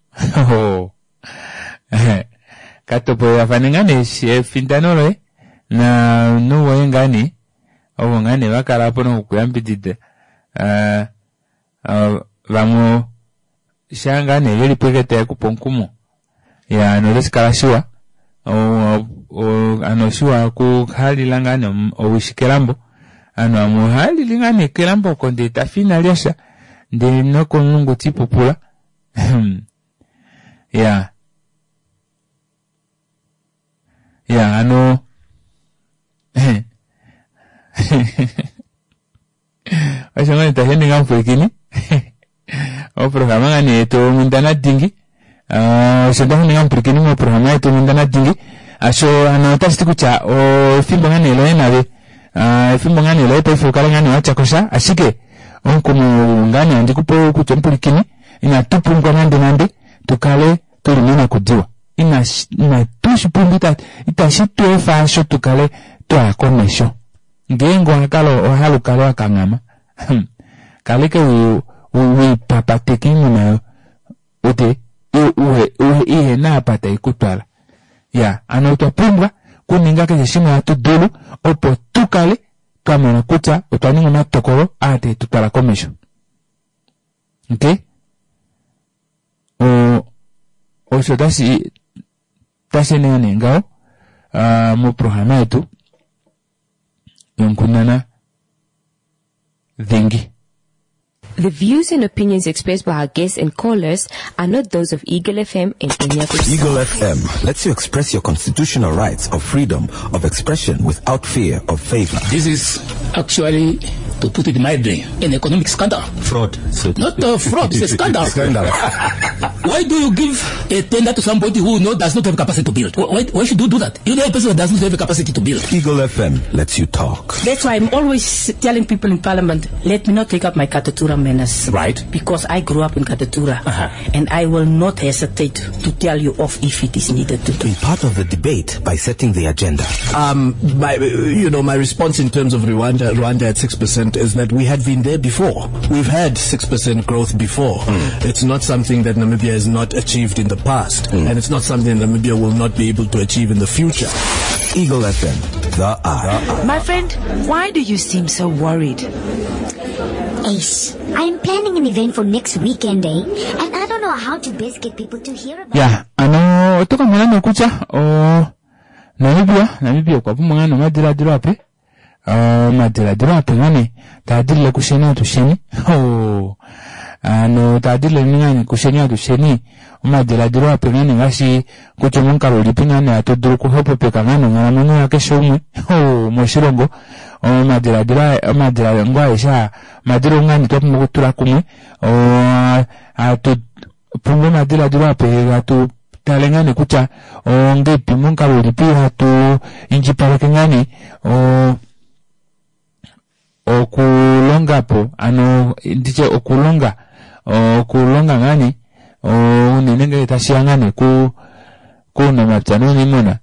katopolelafane ngaa nee efindano loye nomunhu woye ngaa nee ovo ngaa nee vakala po nokukuyambidida ah, ah, vamwe shaa ngaa nee veli po eke taye kupe omukumo ya ano otashi kala shiwa ano oshiwa okuhalila ngaa nee owishi kelambo ovanhu vamwe ohaalili ngaa nee kelambo oko ndee tafi ina lyasha ndee nokomulungu tiipupula ya ya ano osho ngoo nee tashi ende ngaa mupwilikini oprograma ngaa nee yetu onghundana dingi ah, osho tashi ende ngaa mupwilikini moprograma yetu onghundana dingi asho ano otashi ti kutya efimbo ngaa nee loye nave ah, efimbo ngaa nee loye paife ukale ngaa nee watya kosha ashike omukumo ngaa nee handi kupe kutya omupwilikini inatu pumbwa nande nande tukale tuli monakudiwa inatu shi pumbwa itashi tu efa asho tukale twaya komesho ngeenge owa kala owa hala ukale wa kanghama hmm, kaleke wiipapateka iinima ute ihena apa tai kutwala ya ano otwa pumbwa kuninga keshe shimwe hatu dulu opo tu kale twa mona kutya otwa ninga omatokolo aa tae tu twala komesho okay osho tashi tashi nee nee ngaho uh, moprograma yetu yonkundana dhingi The views and opinions expressed by our guests and callers are not those of Eagle FM and any of its Eagle FM lets you express your constitutional rights of freedom of expression without fear of favor. This is actually, to put it mildly, an economic scandal. Fraud. So Not a fraud, it's a scandal. Scandal. Why do you give a tender to somebody who no, does not have capacity to build? Why, why should you do that? You know a person who does not have the capacity to build. Eagle FM lets you talk. That's why I'm always telling people in Parliament, let me not take up my Katutura manners. Right. Because I grew up in Katutura. And I will not hesitate to tell you off if it is needed to do. Be part of the debate by setting the agenda. My, you know, my response in terms of Rwanda, Rwanda at 6% is that we had been there before. We've had 6% growth before. Mm. It's not something that Namibia has not achieved in the past. Mm. And it's not something that Namibia will not be able to achieve in the future. Eagle FM, the eye. My friend, why do you seem so worried? Ace, I am planning an event for next weekend, eh? And I don't know how to best get people to hear about Ya, ano oto ka mona nee kutya o Namibia, Namibia okwa pumbwa ngaa nee omadiladilo ape. Omadiladilo ape ngaa nee taa dilile kusheni atusheni. Oh. Ano taa dilile ngaa nee kusheni atusheni omadiladilo ape ngaa nee ngaashi kutya omomukalo ulipi ngaa nee hatu dulu okuxwepopeka ngaa nee onghalamwenyo yakeshe umwe moshilongo. Omadiladilo omadiladilo aeshe aa omadilongo ngaa nee twa pumbwa okutula kumwe hatu pumbwa omadiladilo ape hatu tale ngaa nee kutya ongeipi momukalo ulipi hatu indjipaleke ngaa nee okulonga po ano nditye okulonga okulonga ngaa nee unene ngele tashiya ngaa nee ku kuunamapya nuuniimuna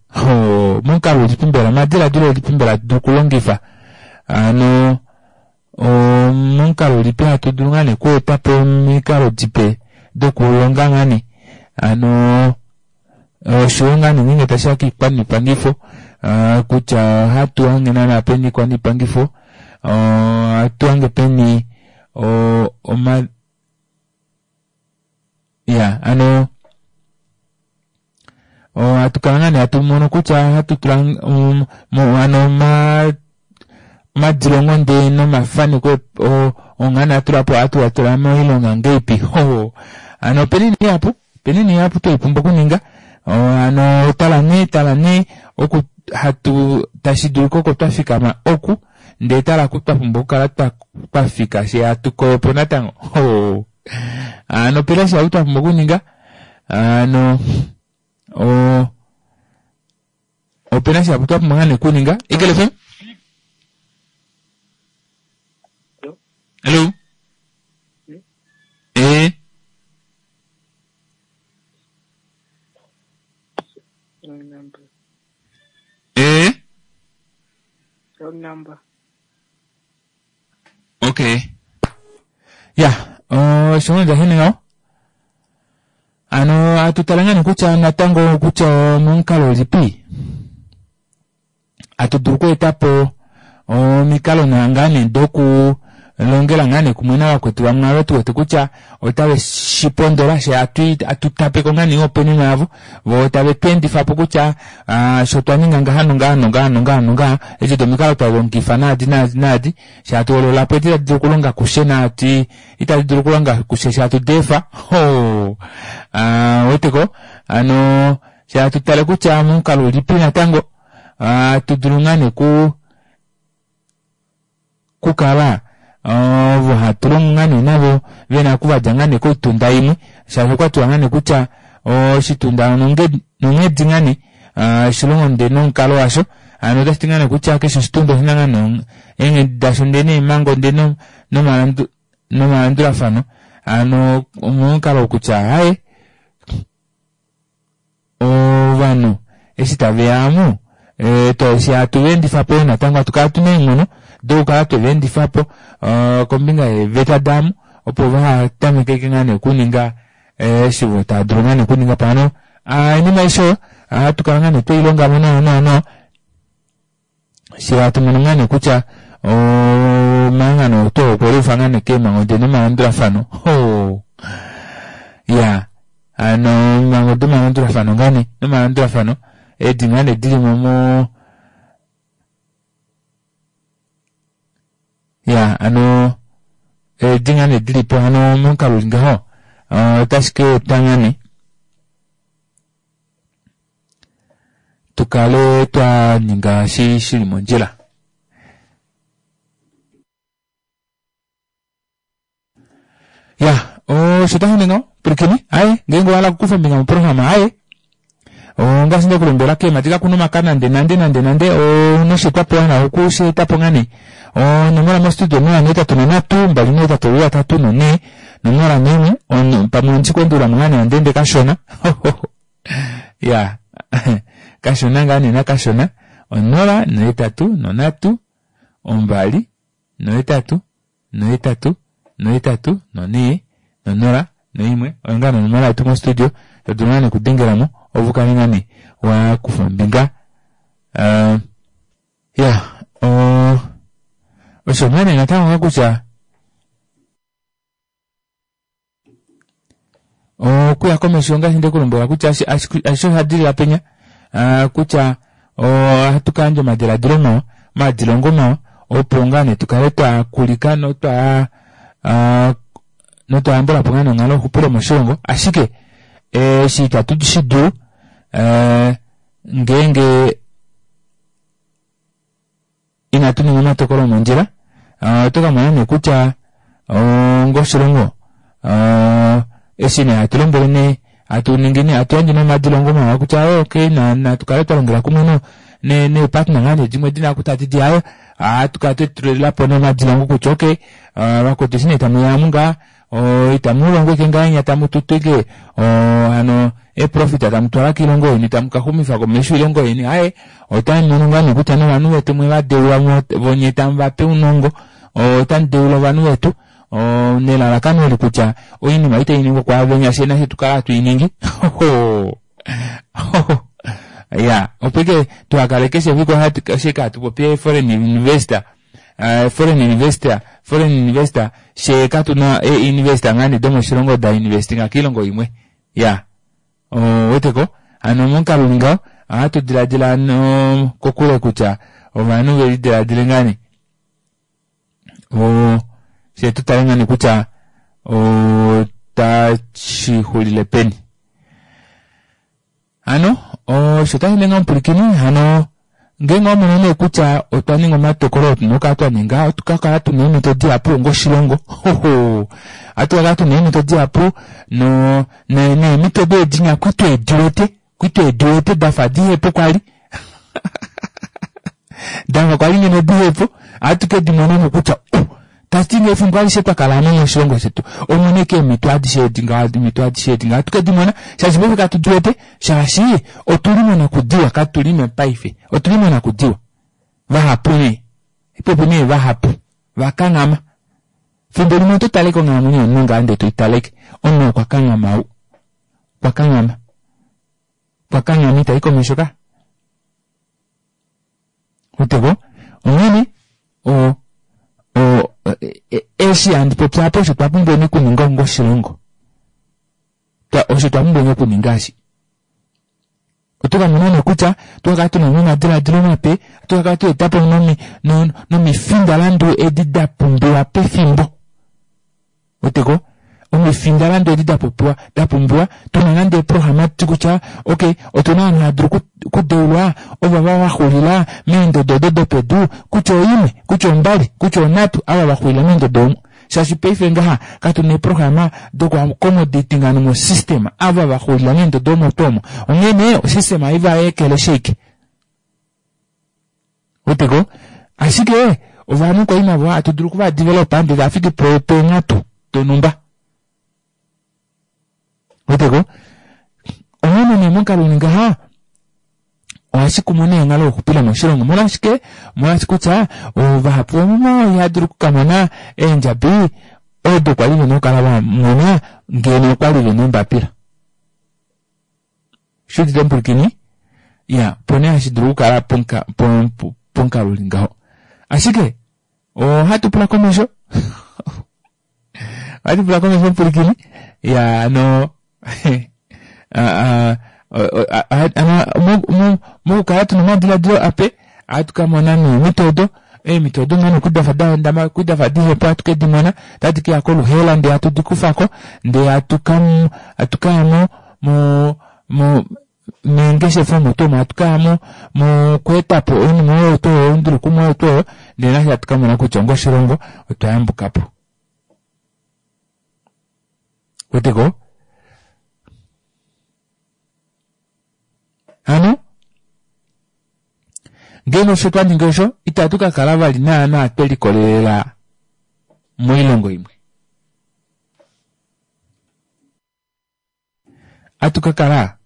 momukalo ulipi mbela omadiladilo ulipi mbela hatu dulu okulongifa ano omomukalo ulipi hatu dulu ngaa nee okweeta po omikalo dipe dokulonga ngaa nee ano oshowo ngaa nee ngeenge tashiya kiikwaniipangifo kutya ohatu hange naana peni iikwaniipangifo ohatu hange peni oma ya ano ohatu kala ngaa nee hatu mono kutya ohatu tula ano omadilongo ndee nomafaneko onga nee atula po ohatu a tula moilonga ngeipi ano opena oinima ihapu opena oinima ihapu tweipumbwa okuninga ano tala nee tala nee oku hatu tashi dulika oko twafikama oku ndee tala oku twapumbwa okukala twafika fyee hatu koyopo natango ano opena shihapu twapumbwa okuninga ano opena shihapu twapumbwa ngaa nee okuninga. Eagle FM? Hello? Eh? Wrong number. Eh? Wrong number. Okay. Ya, osho nga ndahene ngaho. Ano atu tala ngaa nee kutya natango kutya omomukalo ulipi atu dulu okweeta po omikalo ngaa nee doku longela ngaa nee kumwe navakwetu vamwe ava tuwete kutya otave shipondola she atu tapeko ngaa nee ihopaenenwa yavo voo tave tu endifapo kutya sho twaninga ngaha nongaha nongaha nongaha nongaha edi odo omikalo twalongifa naadi naadi naadi she hatu hoololapo edi tadi dulu okulonga kushe naadi itadi dulu okulonga kushe she hatu deefa hoo ouweteko hano she hatu tale kutya momukalo ulipi natango hatu dulu ngaa nee ku kukala ovo hatu longo ngaa nee navo vena okuvadja ngaa nee koitunda imwe shaashi okwatiwa ngaa nee kutya oshitunda nonghedi ngaa nee oshilongo ndee nomukalo washo hano otashiti ngaa nee kutya keshe oshitunda oshina ngaa nee eenghedi dasho ndee neemhango ndee nomalandulafano hano omomukalo kutya aaye Ovanhu eshi tave ya amu, eshi hatu va endifa po natango hatu kala tuna eenghono dokukala twe va endifa po kombinga yeeveta daamu opo vaha tameke ngaa nee okuninga eshi vo tava dulu ngaa nee okuninga po. Hano oinima aishe oyo ohatu kala ngaa nee tweilonga mo nawa nawa nawa she hatu mono ngaa nee kutya omahangano oto okwe liufa ngaa nee keemhango de nomalandulafano hoo ya hano eemhango domalandulafano ngaa nee nomalandulafano edi ngaa nee dilimo mo ya hano edi ngaa nee dilipo hano momukalo uli ngaho otashi ka eta ngaa nee tu kale twa ninga shi shili mondjila. Ya, osho tashi ningi ngaho, pwilikini, aye, ngeenge owa hala okukufa ombinga moprograma, aye, ongaashi nde ku lombwela keemhadi kaku na omaka nande nande nande nande, ouna osheetwapo wa hala oku shi eta po ngaa nee. Onomola mostudio 083 283 4 01 pamwe ondi ku endulula mo ngaa nee handi ende kashona ya kashona ngaa nee nakashona 083 2 8 8 8 4 0 1 oyo ngaa nee onomola yetu mostudio to dulu ngaa nee okudengela mo opo u kale ngaa nee wa kufa ombinga ya osho ngaa nee natango ngaa kutya okuya komesho ngaashi nde ku lombwela kutya ashishe osha dilila penya kutya ohatu ka yandja omadiladilo mawa omadilongo mawa opo ngaa nee tu kale twa kulika notwa Notwa yambula po ngaa nonghalo yoxupilo moshilongo ashike eshi itatu shi dulu ngeenge inatu ninga omatokolo omondjila oto ka mona nee kutya onga oshilongo eshi nee hatu lombwele nee hatu ningi nee hatu yandje nee omadilongo mawa kutya okay natu kale twa longela kumwe no neepartner ngaa nee dimwe dina kutya tadi di ayo ohatu kala twetulila po nee omadilongo kutya okay vakwetu eshi nee tamuya amu ngaa itamu longo ike ngahenya tamu tutu ike hano eeprofit tamu twala koilongo yeni tamu kaxumifa komesho oilongo yeni aaye otamu mono ngaa nee kutya novanhu vetu mwe va deula vonye tamu vape ounongo otamu deula ovanhu vetu nelalakano oli kutya oinima itai ningwa kwaavenya fye nafye tukala hatu iningi ya opo ike tuhakale keshe efiku ashike hatu popi foreign investor foreign investor foreign investor she katuna e investor ngaa nee domoshilongo da investinga kiilongo imwe ya oweteko hano momukalo uli ngaho ohatu diladila no kokule kutya ovanhu velidiladile ngaa nee fye tutale ngaa nee kutya otashi xulile peni Hano osho tashi ningi omupwilikini hano ngeenge owa mono nee kutya otwa ninga omatokolo oo tuna okukala twa ninga ohatu ka kala tuna eemhito dihapu onga oshilongo ohatu ka kala tuna eemhito dihapu no neemhito deedinya kwi tweediwete kwi tweediwete dafa dihepo kwali dafa kwali ngeno dihepo ohatu ke dimona mo kutya oh, tati ngee efimbo alishe twa kala ame moshilongo shetu omuna eke eemhito adishe edi ngaha eemhito adishe edi ngaha ohatu ke di mona shaashi paife katu di wete shaashi otuli monakudiwa katuli mopaife otuli monakudiwa vahapu nee popi nee vahapu vakanghama fimbo limwe oto tale konghalamwenyo yomunhu ngaa ndee toitaleke omunhu okwa kanghama ou okwa kanghama okwa kanghama itai komesho ka Uteko onghene o o eshi handi popi apa osho twa pumbweni okuninga onga oshilongo osho twa pumbweni okuninga eshi oto ka mona nee kutya oto ka kala tuna nomadiladilo mape oto ka kala twa etapo nomifindalandu edi da pumbiwa pefimbo. Weteko? Omifindalandu edi da popiwa, da pumbiwa, tuna nande eeprograma ti kutya, ok, otuna ovanhu hava dulu okudeulwa, ovo va xulila meendodo odo dopedu, kutya oimwe, kutya ombali, kutya onhatu, ava va xulila meendodo omo. Shaashi paife ngaha katu na eeprograma doku accommodating ovanhu mosystem, ava va xulila meendodo omo tuu omo. Onghee nee, osystem ohai va ekeleshi ashike. Weteko? Ashike ovanhu kwali navo hatu dulu okuva developa ndele tava fiki peenghatu donhumba. Weteko? Onghene nee momukalo uli ngaha ohashi kumu nee onghalo youxupilo moshilongo. Molwashike? Molwaashi kutya vahapu vomuvo ihava dulu okukamona eendjabi odo kwali vena okukala va mona ngeno okwali vena eembapila. Shuudite omupwilikini? Ya, opo nee hashi dulu okukala pomukalo uli ngaho. Ashike, ohatu pula komesho. Ohatu pula komesho omupwilikini. Ya, ano, ano mokukala tuna omadiladilo ape, ohatu ka mona neemhito odo, eemhito odo ngaa nokudafa da hondama, kudafa dihepo ohatu ke di mona, otadi ke ya koluheela ndee hatu di kufa ko, ndee hatu ka, hatu ka ya mo, mo, mo, meengeshefa omo tuu omo hatu ka ya mo, mokweeta po oinima oyo tuu oyo, oindulukumwa oyo tuu oyo, ndee nafye hatu ka mona kutya onga oshilongo otwa yambuka po. Weteko? Hano, ngeenge osho twa ningi osho, itatu ka kala vali naanaa twe likolelela moilongo imwe. Atu ka kala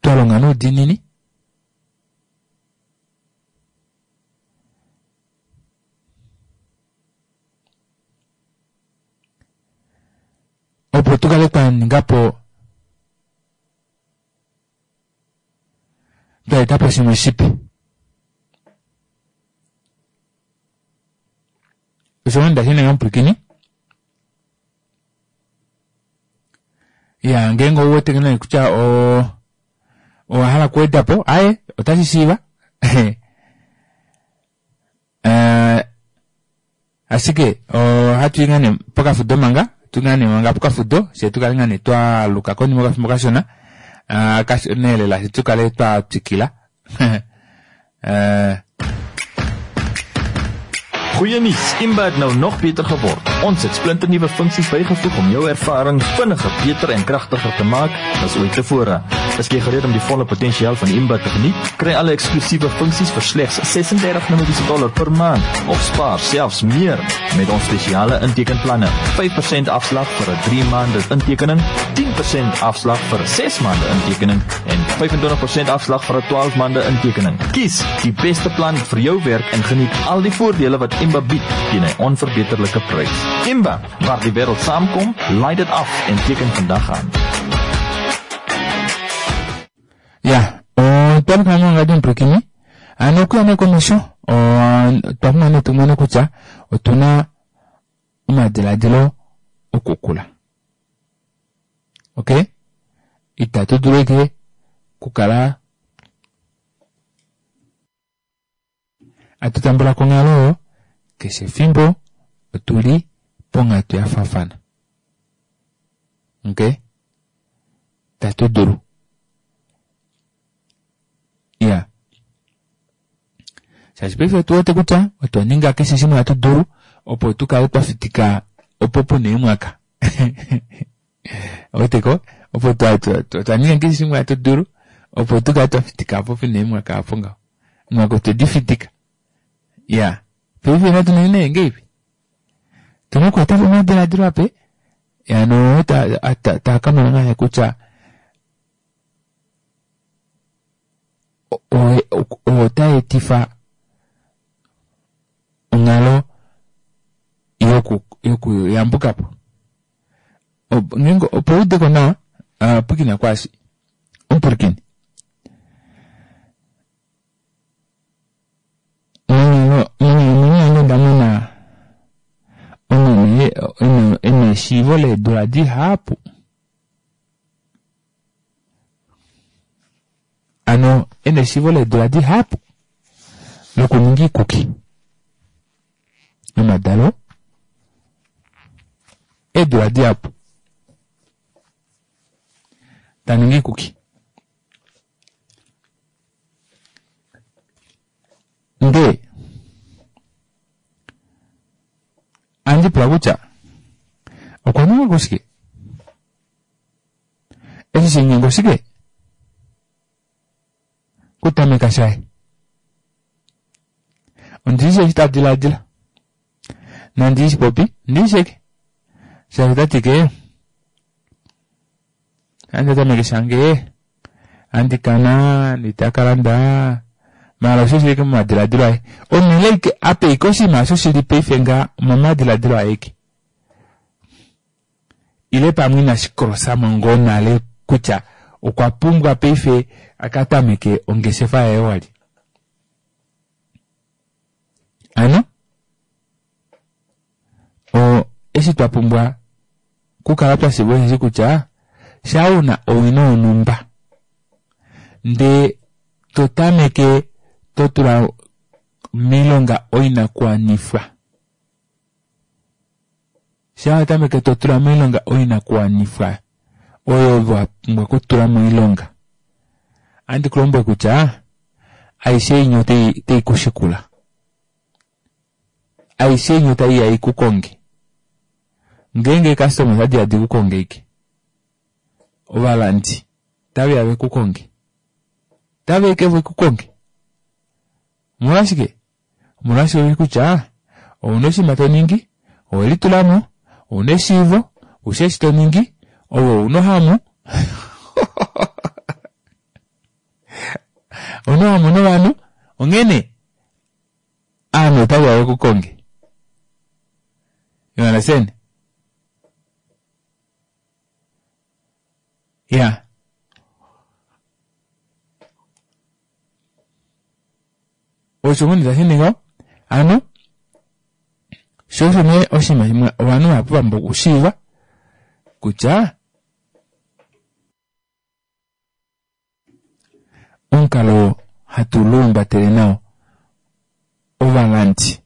twa longa noudiinini opo tu kale twa ninga po twa eta po shimwe shipe. Osho nda shi ninga omupwilikini. Ya, ngeenge ou wete nee kutya o owa hala okuweda po, aye, otashi shiiva. Eh, Ashike ohatu i ngaa nee pokafudo manga, tu ngaa nee manga pokafudo, fye tu kale ngaa nee twa aluka konima yokafimbo kashona, ah, kashona elela, fye tu kale twa twikila. Eh, Goeie nuus, Imba het nou nog beter geword. Ons het splinternuwe funksies bygevoeg om jou ervaring vinniger, beter en kragtiger te maak as ooit tevore. Is jy gereed om die volle potensiaal van Imba te geniet? Kry alle eksklusiewe funksies vir slegs 36 Namibiese dollar per maand of spaar selfs meer met ons spesiale intekenplanne. 5% afslag vir 'n 3 maande intekening, 10% afslag vir 'n 6 maande intekening en 25% afslag vir 'n 12 maande intekening. Kies die beste plan vir jou werk en geniet al die voordele wat Imba bied teen 'n onverbeterlike prys. Imba, waar die wêreld saamkom, laai dit af en teken vandag aan. Ya, otwa pumbwa nee ongadi omupwilikini, ano okuya nee komesho, otwa pumbwa nee tumone kutya otuna omadiladilo okukula. Okay? Itatu dulu ike kukala Atu tambula ko onghalo oyo, keshe efimbo otu li ponghatu ya faafana. Ok? Itatu dulu. Iya. Shaashi paife otu wete kutya otwa ninga keshe shimwe hatu dulu opo tu kale twa fitika opo pu na eemwaka. Owete ko? Opo twa, twa, twa, twa ninga keshe shimwe hatu dulu opo tu kale twa fitika opo pu na eemwaka apo ngaho. Mwaka otwe di fitika. Ya. Paife natu ningi nee ngeipi? Tuna okweeta po omadiladilo ape. Ya no ta ta ta ka mona ngaa kutya oo ta etifa onghalo yoku yokuyambuka po. Ngeenge opo u ude ko nawa, pwilikina kwaashi. Omupwilikini. Monghalamwenyo yange onda mona omeme e na eshiivo leedula dihapu. Ano e na eshiivo leedula dihapu lokuninga iikuki yomadalo eedula dihapu ta ningi iikuki. Ndee andi pula kutya okwa ninga ko shike? Eshi she nyenga oshike? Kutameka shaye. Ondi shi eshi ta diladila. Nandi shi popi, ndi sheke. Shaashi ota ti ke, andi tameke shange, andi kana, ndita ka landa, maala osho shili ike momadiladilo aye. Omunhu ike ape ike oshinima osho shili paife nga momadiladilo aye ike. Ile pamwe inashi krosa mo ngoo nale kutya okwa pumbwa paife a ka tameke ongeshefa yaye wali. Ano, o, eshi twa pumbwa kukala twa shiiva osheshi kutya shaa u na owino yonhumba ndee to tameke to tula moilonga oinakuwanifwa, shaa wa tameke to tula moilonga oinakuwanifwa oyo wa pumbwa okutula moilonga, ohandi ku lombwele kutya aishe inya otai ku shikula. Aishe inya otai ya i ku konge. Ngeenge eekastoma otadi ya di ku konge ike, ovalandi otave ya ve ku konge. Otave ya ike ve ku konge. Omolwashike? Omolwashike oshi kutya ouna oshinima to ningi, owe litula mo, ouna eshiivo, oushi eshi to ningi, ove ouna ohamu. Ouna ohamu novanhu, onghene aanhu otave ya ve ku konge. You understand? Yeah. Osho ngoo nee tashi ningi ngaho. Hano sho osho nee oshinima shimwe ovanhu vahapu va pumbwa okushiiva kutya omukalo oo hatu luumbatele nao ovalandi.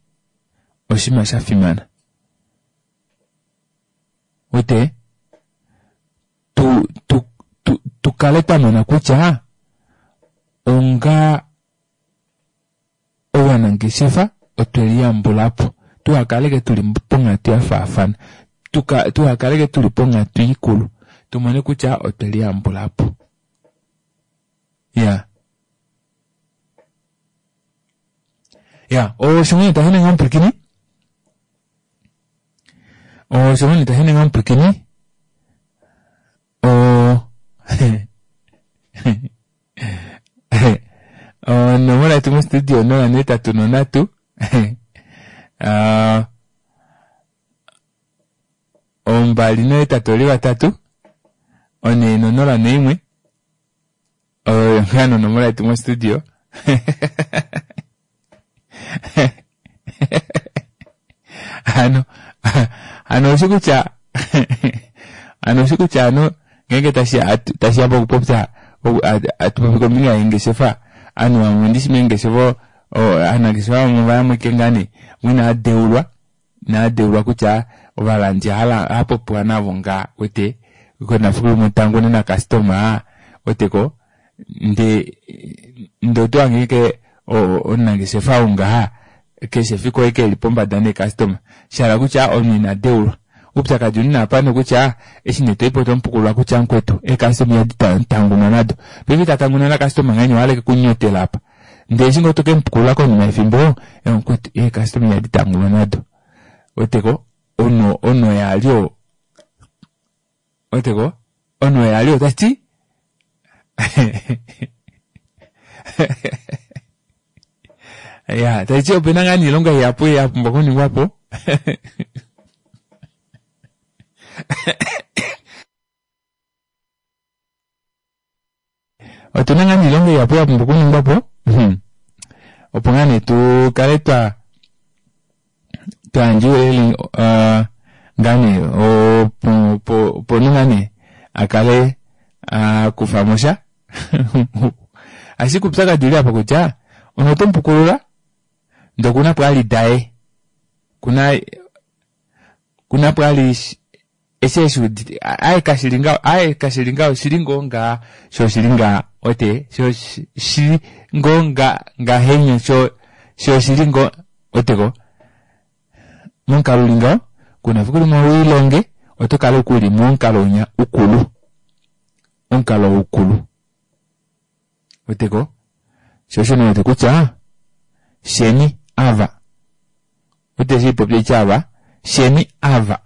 Oshinima sha fimana. Wete? Tu, tu, tu, tu kale twa mona kutya onga ovanangeshefa otwe liyambula po. Tuhakaleke tuli ponghatu ya faafana. Tuka, tuhakaleke tuli ponghatu ikulu. Tumone kutya otwe liyambula po. Ya. Ya, osho ngene tashi ningi omupwilikini. Osho ngene tashi ningi omupwilikini. O onomola yetu mostudio 083 ah, 283 401 oyo ngaa nonomola yetu mostudio hano hano oshi kutya hano oshi kutya hano ngeenge tashi ya pokupopya atupopi kombinga yeengeshefa ovanhu vamwe ndishi meengeshefa aanangeshefa vamwe vayamweke ngaa nee inaa deulwa inaa deulwa kutya ovalandi hapopiwa navo ngaa wete konafiku limwe tangune na customer weteko nde nde oto hange ke omunangeshefa ou ngaha keshe efiku oye ke li pombada neecustoma shahala kutya omunhu ina deulwa oupyakadi uli naapa nokutya eshi nee toipo tomupukulula kutya mukwetu eecustoma ihadi tangunwa nado paife ita tanguna nakastoma ngahenya ohaleke kunyotela apa ndee eshi ngoo tokemupukulula konima yefimbo mukwetu eecustoma ihadi tangunwa nado weteko ono ono yali oo weteko ono yali otati ya taiti opena ngaa niilonga ihapu ya pumbwa okuningwa po otuna ngaa niilonga ihapu ya pumbwa okuningwa po hmm. opo ngaa nee tu kale twa twayandja ouyelele uh, ngaa nee opo opo ngaa nee a kale a kufa mo sha ashike uupyakadhi uli apa kutya omuntu oto mu pukulula ndele okuna pwaali daye kuna kuna pwaali eshi eshi udite aye kashili ngaho aye kashili ngaho shili ngoo ngaa sho shili ngaa ote sho shili ngoo nga ngahenya sho sho shili ngoo oteko momukalo uli ngaho kuna fiku limwe wiilonge oto kala ukuli momukalo unya ukulu omukalo ukulu weteko sho osho niwete kutya sheni ava wete shi popya itya ava sheni ava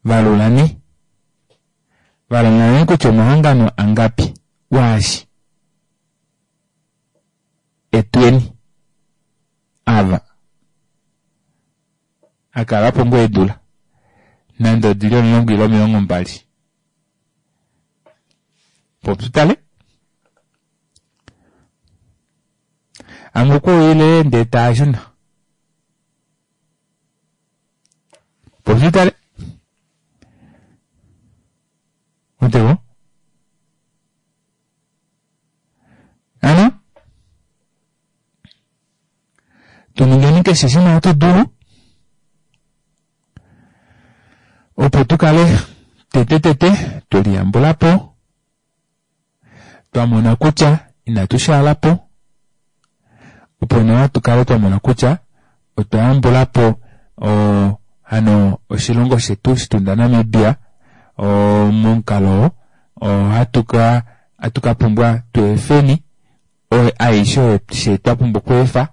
valulani valulani kutya omahangano angapi waashi etweni ava akala po ngoo eedula nande odili 10 ile 20 popyu tale amwe okwa ndee taa shuna popyu tale otego ano tu ningeni keshe shimwe hatu dulu opo tu kale tete tete twe liyambula po twa mona kutya inatu shaala po opo nawa tu kale twa mona kutya otwa yambula po hano oshilongo shetu shitunda Namibia momukalo ohatu ka hatu ka pumbwa tweefeni aishe oyo she twa pumbwa okweefa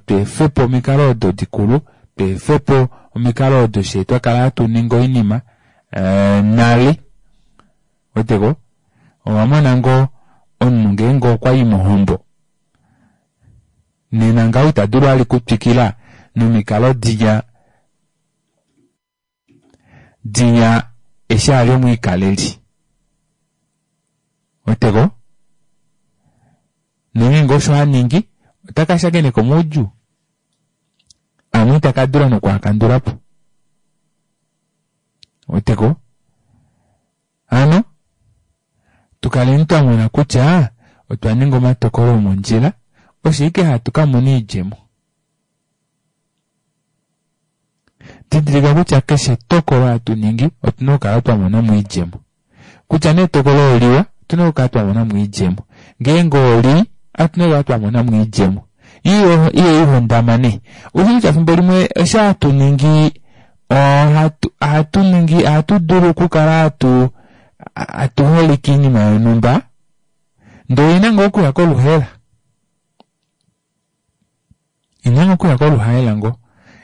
tweefe po omikalo odo dikulu tweefe po omikalo odo she twa kala hatu ningi oinima nale weteko owa mona ngoo omunhu ngeenge okwa yi mohombo nena ngaho ita dulu ali kutwikila nomikalo dinya dinya eshi ali omwiikaleli weteko nongeenge osho aningi ota ka shakeneka omaudjuu amwe ita ka dula nokuakandula po weteko hano tukaleni twa mona kutya otwa ninga omatokolo omondjila osho ike hatu ka mona iidjemo. Didilika kutya keshe etokolo hatu ningi otu na okukala twa mona mo oidjemo. Kutya nee etokolo oliwa, otu na okukala twa mona mo oidjemo. Ngeenge olii, otu na okukala twa mona mo oidjemo. Iyo iyo ihondama nee. Ushi kutya efimbo limwe eshi hatu ningi ohatu ohatu ningi ohatu dulu okukala hatu hatu holeke oinima yonhumba ndee oina ngoo okuya koluhaela. Ina ngoo okuya koluhaela ngoo.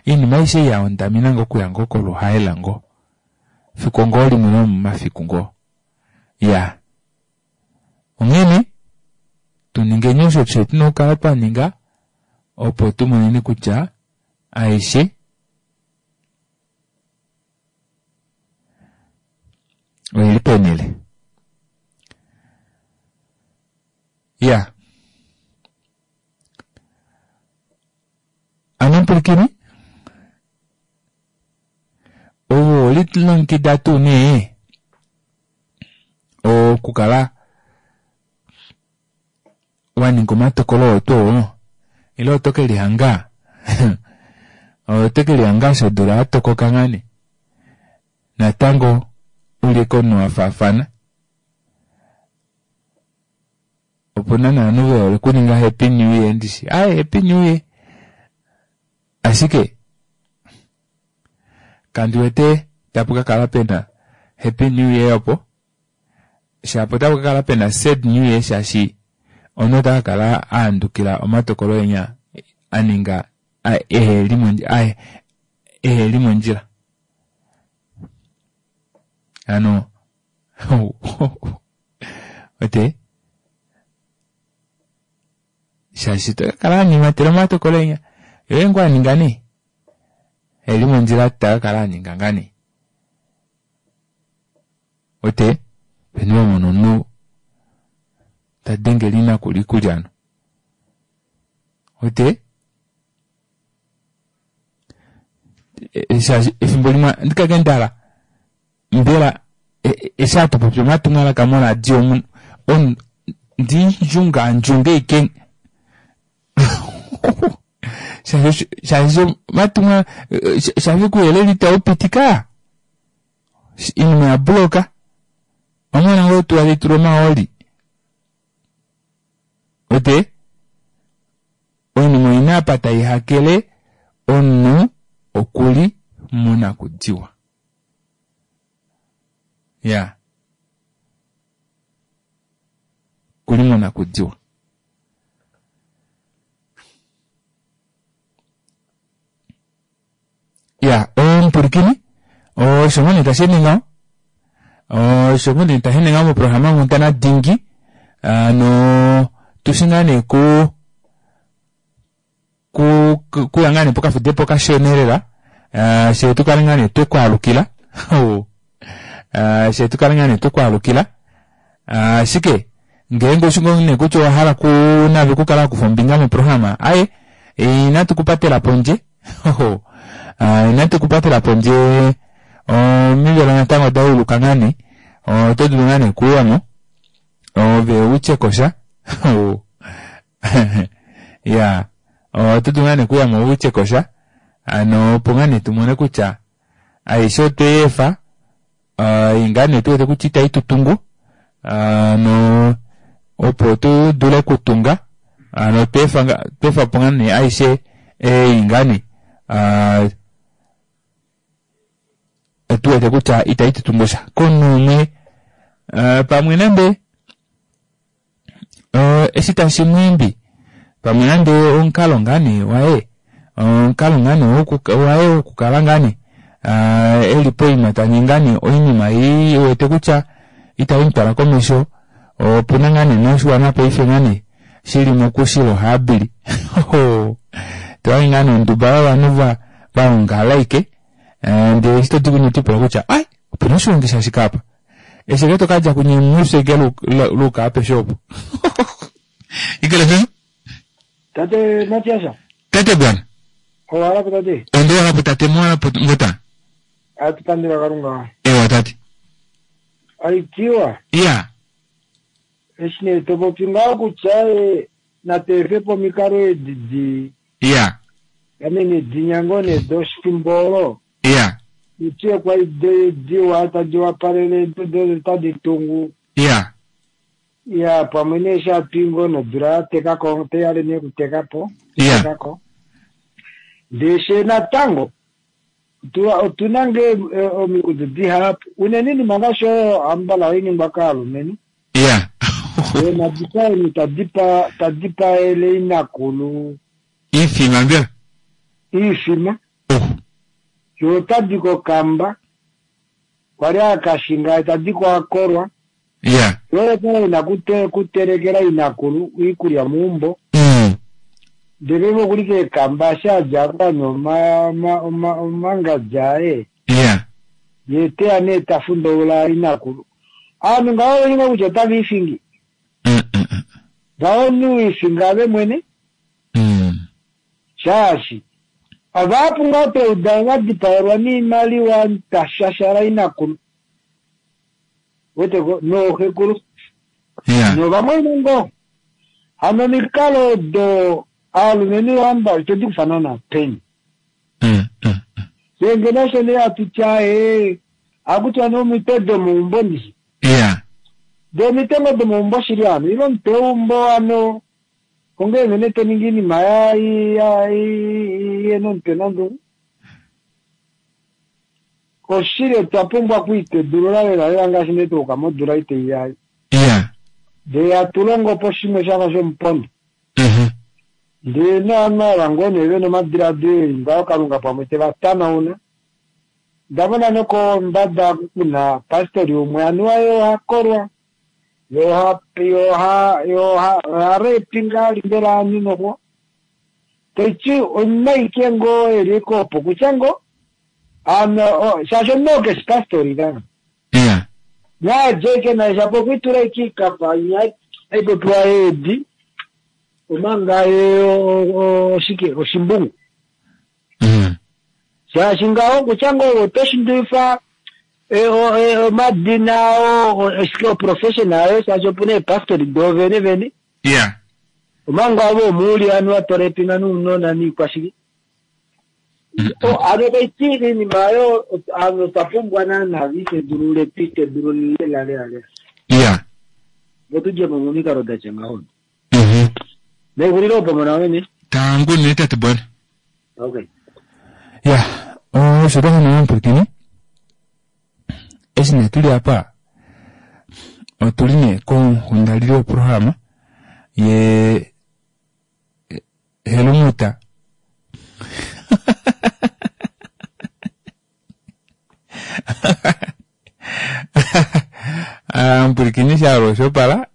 Oinima aishe ei ya hondama ina ngoo okuya ngoo koluhaela ngoo. Fiku ngoo limwe lomomafiku ngoo. Iyaa. Onghene tu ningeni osho fye tuna okukala twa ninga opo tu moneni kutya aishe oili penhele. Ya. Ano mpwilikini, ove owelilongekida tuu nee okukala wa ninga omatokolo oo tuu oo ile oto ke lihanga oto ke lihanga eshi odula ya tokoka ngaa nee natango uli komunhu wa faafana opuna novanhu ve hole okuninga happy new year ndishi aye happy new year ashike kandi wete tapu ka kala pena happy new year opo shapo otapu ka kala pena sad new year shaashi omunhu ota ka kala a handukila omatokolo enya a ninga eheli mondjila eheli mondjila ano ote shaashi to ka kala anyimatela omatokolo enya yoye ngoo aninga nee eli mondjila ta ka kala aninga ngaa nee ote peni wamona omunhu ta dengele inakulu iikulya ano ote shaashi efimbo limwe andikake ndala mbela eshi hatu popi omatumwalaka moradio omu omu ndindjunga ndjunge ike shaashi shaashi omatumwa shaashi kuuyelele itau pitika iinima ya buloka omwana ngoo tuwa tayi tulwa omahooli wete oinima oina apa tai hakele omunhu okuli monakudiwa ya okuli monakudiwa ya omupulikini osho ngoo nee tashi ende ngaho osho ngoo nee tashi ende ngaho moprograma Nkundana Dingi ano tushi ngaa nee ku ku kuya ngaa nee pokafudepo kashona lela uh, she tu kale ngaa nee twe ku alukila uh, she tu kale ngaa nee twe ku alukila ashike uh, ngeenge oshi ngoo nee kutya owa hala ku nave kukala wa kufa ombinga moprograma aye inatu ku patela pondje uh, inatu ku patela pondje omivelo natango oda uluka ngaa nee oto dulu ngaa nee kuuyamo ove utye kosha ya oto dulu ngaa nee okuyamo u tye ko sha ano opo ngaa nee tu mone kutya aishe otwe yi efa ei ngaa nee tu wete kutya itayi tu tungu ano opo tu dule okutunga ano tweefa tweefa po ngaa nee aishe ei ngaa nee tu wete kutya itayi tu tungu sha komunhu umwe pamwe nande eshi tashi mu imbi pamwe nande omukalo ngaa nee waye omukalo ngaa nee waye wokukala ngaa nee e li poima ta ningi ngaa nee oinima ei e wete kutya itai mu twala komesho opuna ngaa nee noshiwana paife ngaa nee shili mokushila ohaabili tohange ngaa nee onduba yovanhu va vaongala aike ndele eshi todi kunye otipula kutya ai opena oshilongi shashike apa Eshi ke to ka dja kunye mufye ke luka apeshe opo. Ikele fe? Tate Matias. Tate bwana. Owala po tate. Ondo wala po tate mo po ngota. Atupandula Kalunga. Ewa tate. Aitiwa. Iya. Eshi nee to popi ngaho kutya e, natu efe po omikalo edi di Iya. ame nee dinya ngoo nee doshifimbo olo. Ya. Utye kwali diwa tadi wapalele do tadi tungu. Ya. Ya, pamwe nee eshi hatu i ngoo nodula ya teka ko, otai hale nee okuteka po. Ya. Teka ko. Ndee she natango, otu na ngee omikundu dihapu, unene oinima ngaashi oyo ambala ohai ningwa kaalumenhu. Ya. Eenadipaeni tadi paele inakulu. Iifima mbela? Iifima. Yo otadi kokamba, kwali akashinga tadi ko akolwa. Ya. Yo otali ina kutelekela inakulu iikulya muumbo. Ndele vokuli keekamba eshi adja akanywa omangadja aye. Ya. Ye teya nee ta fundaula inakulu. Aanhu ngaho oveli ngoo kutya otava ifingi. Ngaho omunhu wiifinga ave mwene. Shaashi avahapu ngoo twauda va dipaelwa niimaliwa ta shashala inakulu. Weteko nooxekulu. Novamwaina ngoo. Hano omikalo odo aalumenhu ohamba ito di kufa naana peni. Fye ngeno osho nee hatu ti aaye, ohaku tiwa nee omitwe domaumbo ndishi. Ndee omitwe ngoo domaumbo shili hano, ile omutwe weumbo hano onghee nghene to ningi oinima ihena omutwe nondungu. Oshili otwa pumbwa okwiitedulula lela lela ngaashi nee twa yuka modula ei tai ya ei. Ndee hatu longo po shimwe shafa shomupondo. Ndee novanhu ava ngoo nee vena omadilaadilo eli ngaho Kalunga pamwe te va tanauna. Onda mona nokombada oku kuna pastori umwe anuwa ye oha kolwa, ye oha ye oha ye oha oha rape ngaa mbela ovanhu noxo. Taiti omunhu aike ngoo eli eke opo kutya ngoo ano shaashi omunhu oo keshi pastori ka. Naadje eke naye shapo okwe itula eke ikapa inya aipopiwa eedi omanga ye oshike oshimbungu. Shaashi ngaho kutya ngoo oto shindulifa omadina oshike oprofession ayo shaashi opuna eepastori doovene vene. Omanga ove omuuli anuwa to repinga nounona niikwashike. Ano taiti iinima oyo ovanhu otwa pumbwa naana itedulule twiitedulule lela lela lela. Opo tudje mo momikalo datya ngaho. Nexulilo opo mona wene. Tangu nee tate Bwana. Okay. Ya, osho twa hana omupwilikini. Eshi nee tuli apa otuli nee konghundalilo yoprograma ye Helumuta. Omupwilikini shaalo oshopala.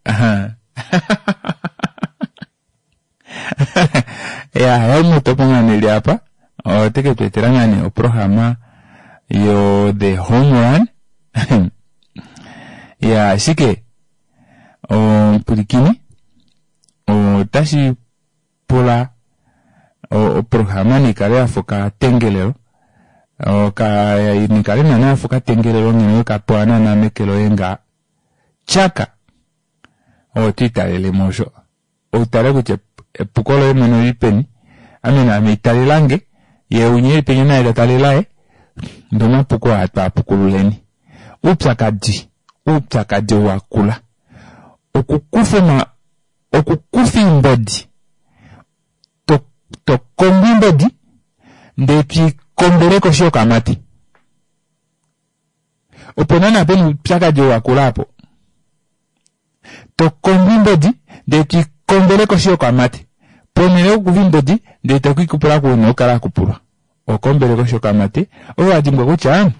Ya, Helmut opo ngaa nee eli apa ote ke tu etela ngaa nee oprograma yo The Home Run. Ya, ashike omupwilikini otashi pula oprograma nikale yafa okatengelelo nikale naana yafa okatengelelo ngeno wekapewa naana meke loye nga tyaka oto italelemo osho outale kutya epuko loye mwene olili peni ame naame italelange ye winya eli penya naye ta tale laye ndee omapuko aa twaapukululeni oupyakadi oupyakadi ou wakula okukufa okukufa oimbodi to to kombo oimbodi ndee twiikombele koshi yokamati opo naana pena oupyakadi ou wakula aapo to kombo oimbodi ndee twiikombele koshi yokamati ponhele yokukufa oimbodi ndee tokiikupula ku una okukala wakupulwa ohokombele koshi yokamati ove wadimbwa kutya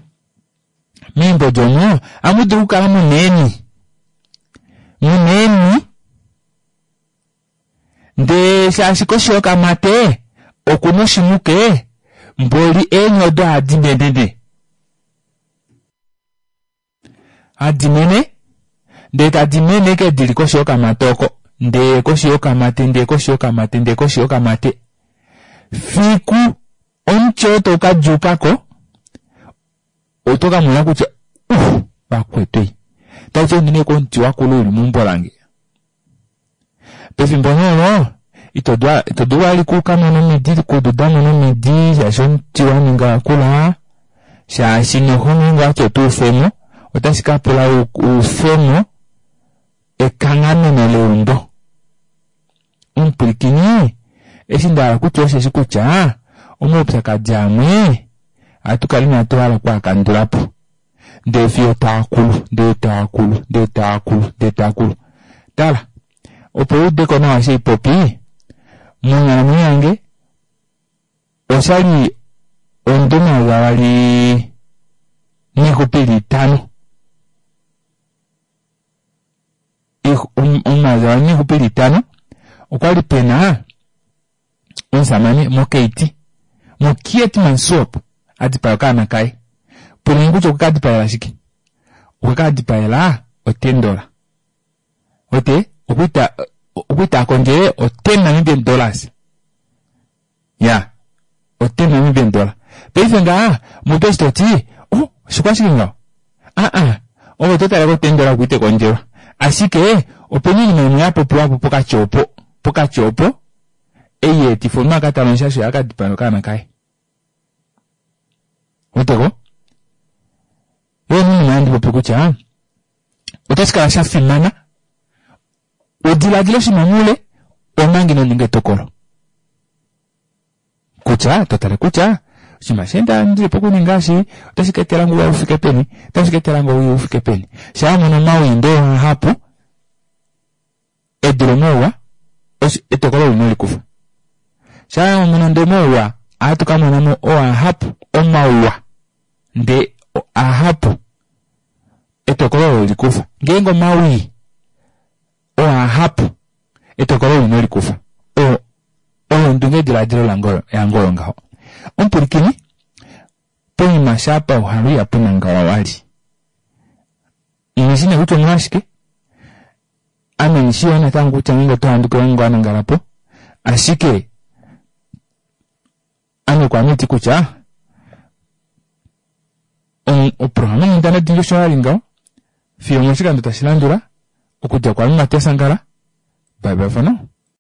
meimbodi omo ohamu dulu okukala muna eeni muna eeni ndee shaashi koshi yokamate okuna oshimuke mboli eeni odo ohadi menene hadi mene ndee tadi mene ke dili koshi yokamate oko ndee koshi yokamate ndee koshi yokamate ndee koshi yokamate fiku omuti oo tau ka djuukako oto ka mona kutya uh vakwetu ei taiti ondi komuti wakula uli meumbo lange pefimbo nee olo ito dulu vali kukamona omidi kududamo nomidi shaashi omuti waninga wakula. Shaashi noho ngeenge owati oto ufemo, otashi ka pula ufemo ekanghameno leumbo. Omupwilikini, eshi nda hala kutya osheshi kutya omaupyakadi amwe ohatu kala inatu hala oku a kandula po. Ndee fiyo taa kulu, ndee taa kulu, ndee taa kulu, ndee taa kulu. Tala, opo u ude ko nawa eshi haipopi, monghalamwenyo yange oshali omudo omayovi avali niixupi ili itano 2025 okwali pena omusamane mokeiti moKeetmanshoop a dipaya okaana kaye. Puleni kutya okwe ka dipaela shike? Okwe ka dipaela otendola. Wete okwali ta kondjele o 10 Namibian dollars. Ya, o 10 Namibian dollar. Paife ngaha mutu eshi toti, oh, oshikwashike ngaho? Aa, ove oto tale ko 10 dollar oku ite kondjelwa. Ashike opena oinima imwe ya popiwa po pokati opo, pokati opo ei ya etifa omunhu a ka tale omushasho ye a ka dipaya okaana kaye. Weteko? Yo oinima handi popi kutya otashi kala sha fimana u diladile oshinima moule omanga ino ninga etokolo. Kutya to tale kutya oshinima she nda ndili pokuninga eshi otashi ka etela nge ouwa u fike peni, otashi ka etela nge owii u fike peni. Shaa wa mono omawii ndee omahapu e dule omauwa, etokolo olo ino li kufa. Shaa wa mono ndee omauwa ohatu ka mona mo oahapu omauwa ndee ahapu etokolo olo li kufa. Ngeenge omawii oahapu etokolo olo ino li kufa. Oyo ondungediladilo yange oyo ngaho. Omupwilikini, poima shaa pauhalu ihapu nangalwa wali. Nghi shi nee kutya omolwashike, ame nghi shii yoo natango kutya ngeenge oto handukilwa ngeenge owa nangala po, ashike ame kwaame iti kutya oprograma yonghundana dingi osho ya li ngaho fiyo omoshikando tashi landula okudja kwaame Matias Angala. Bye bye for now.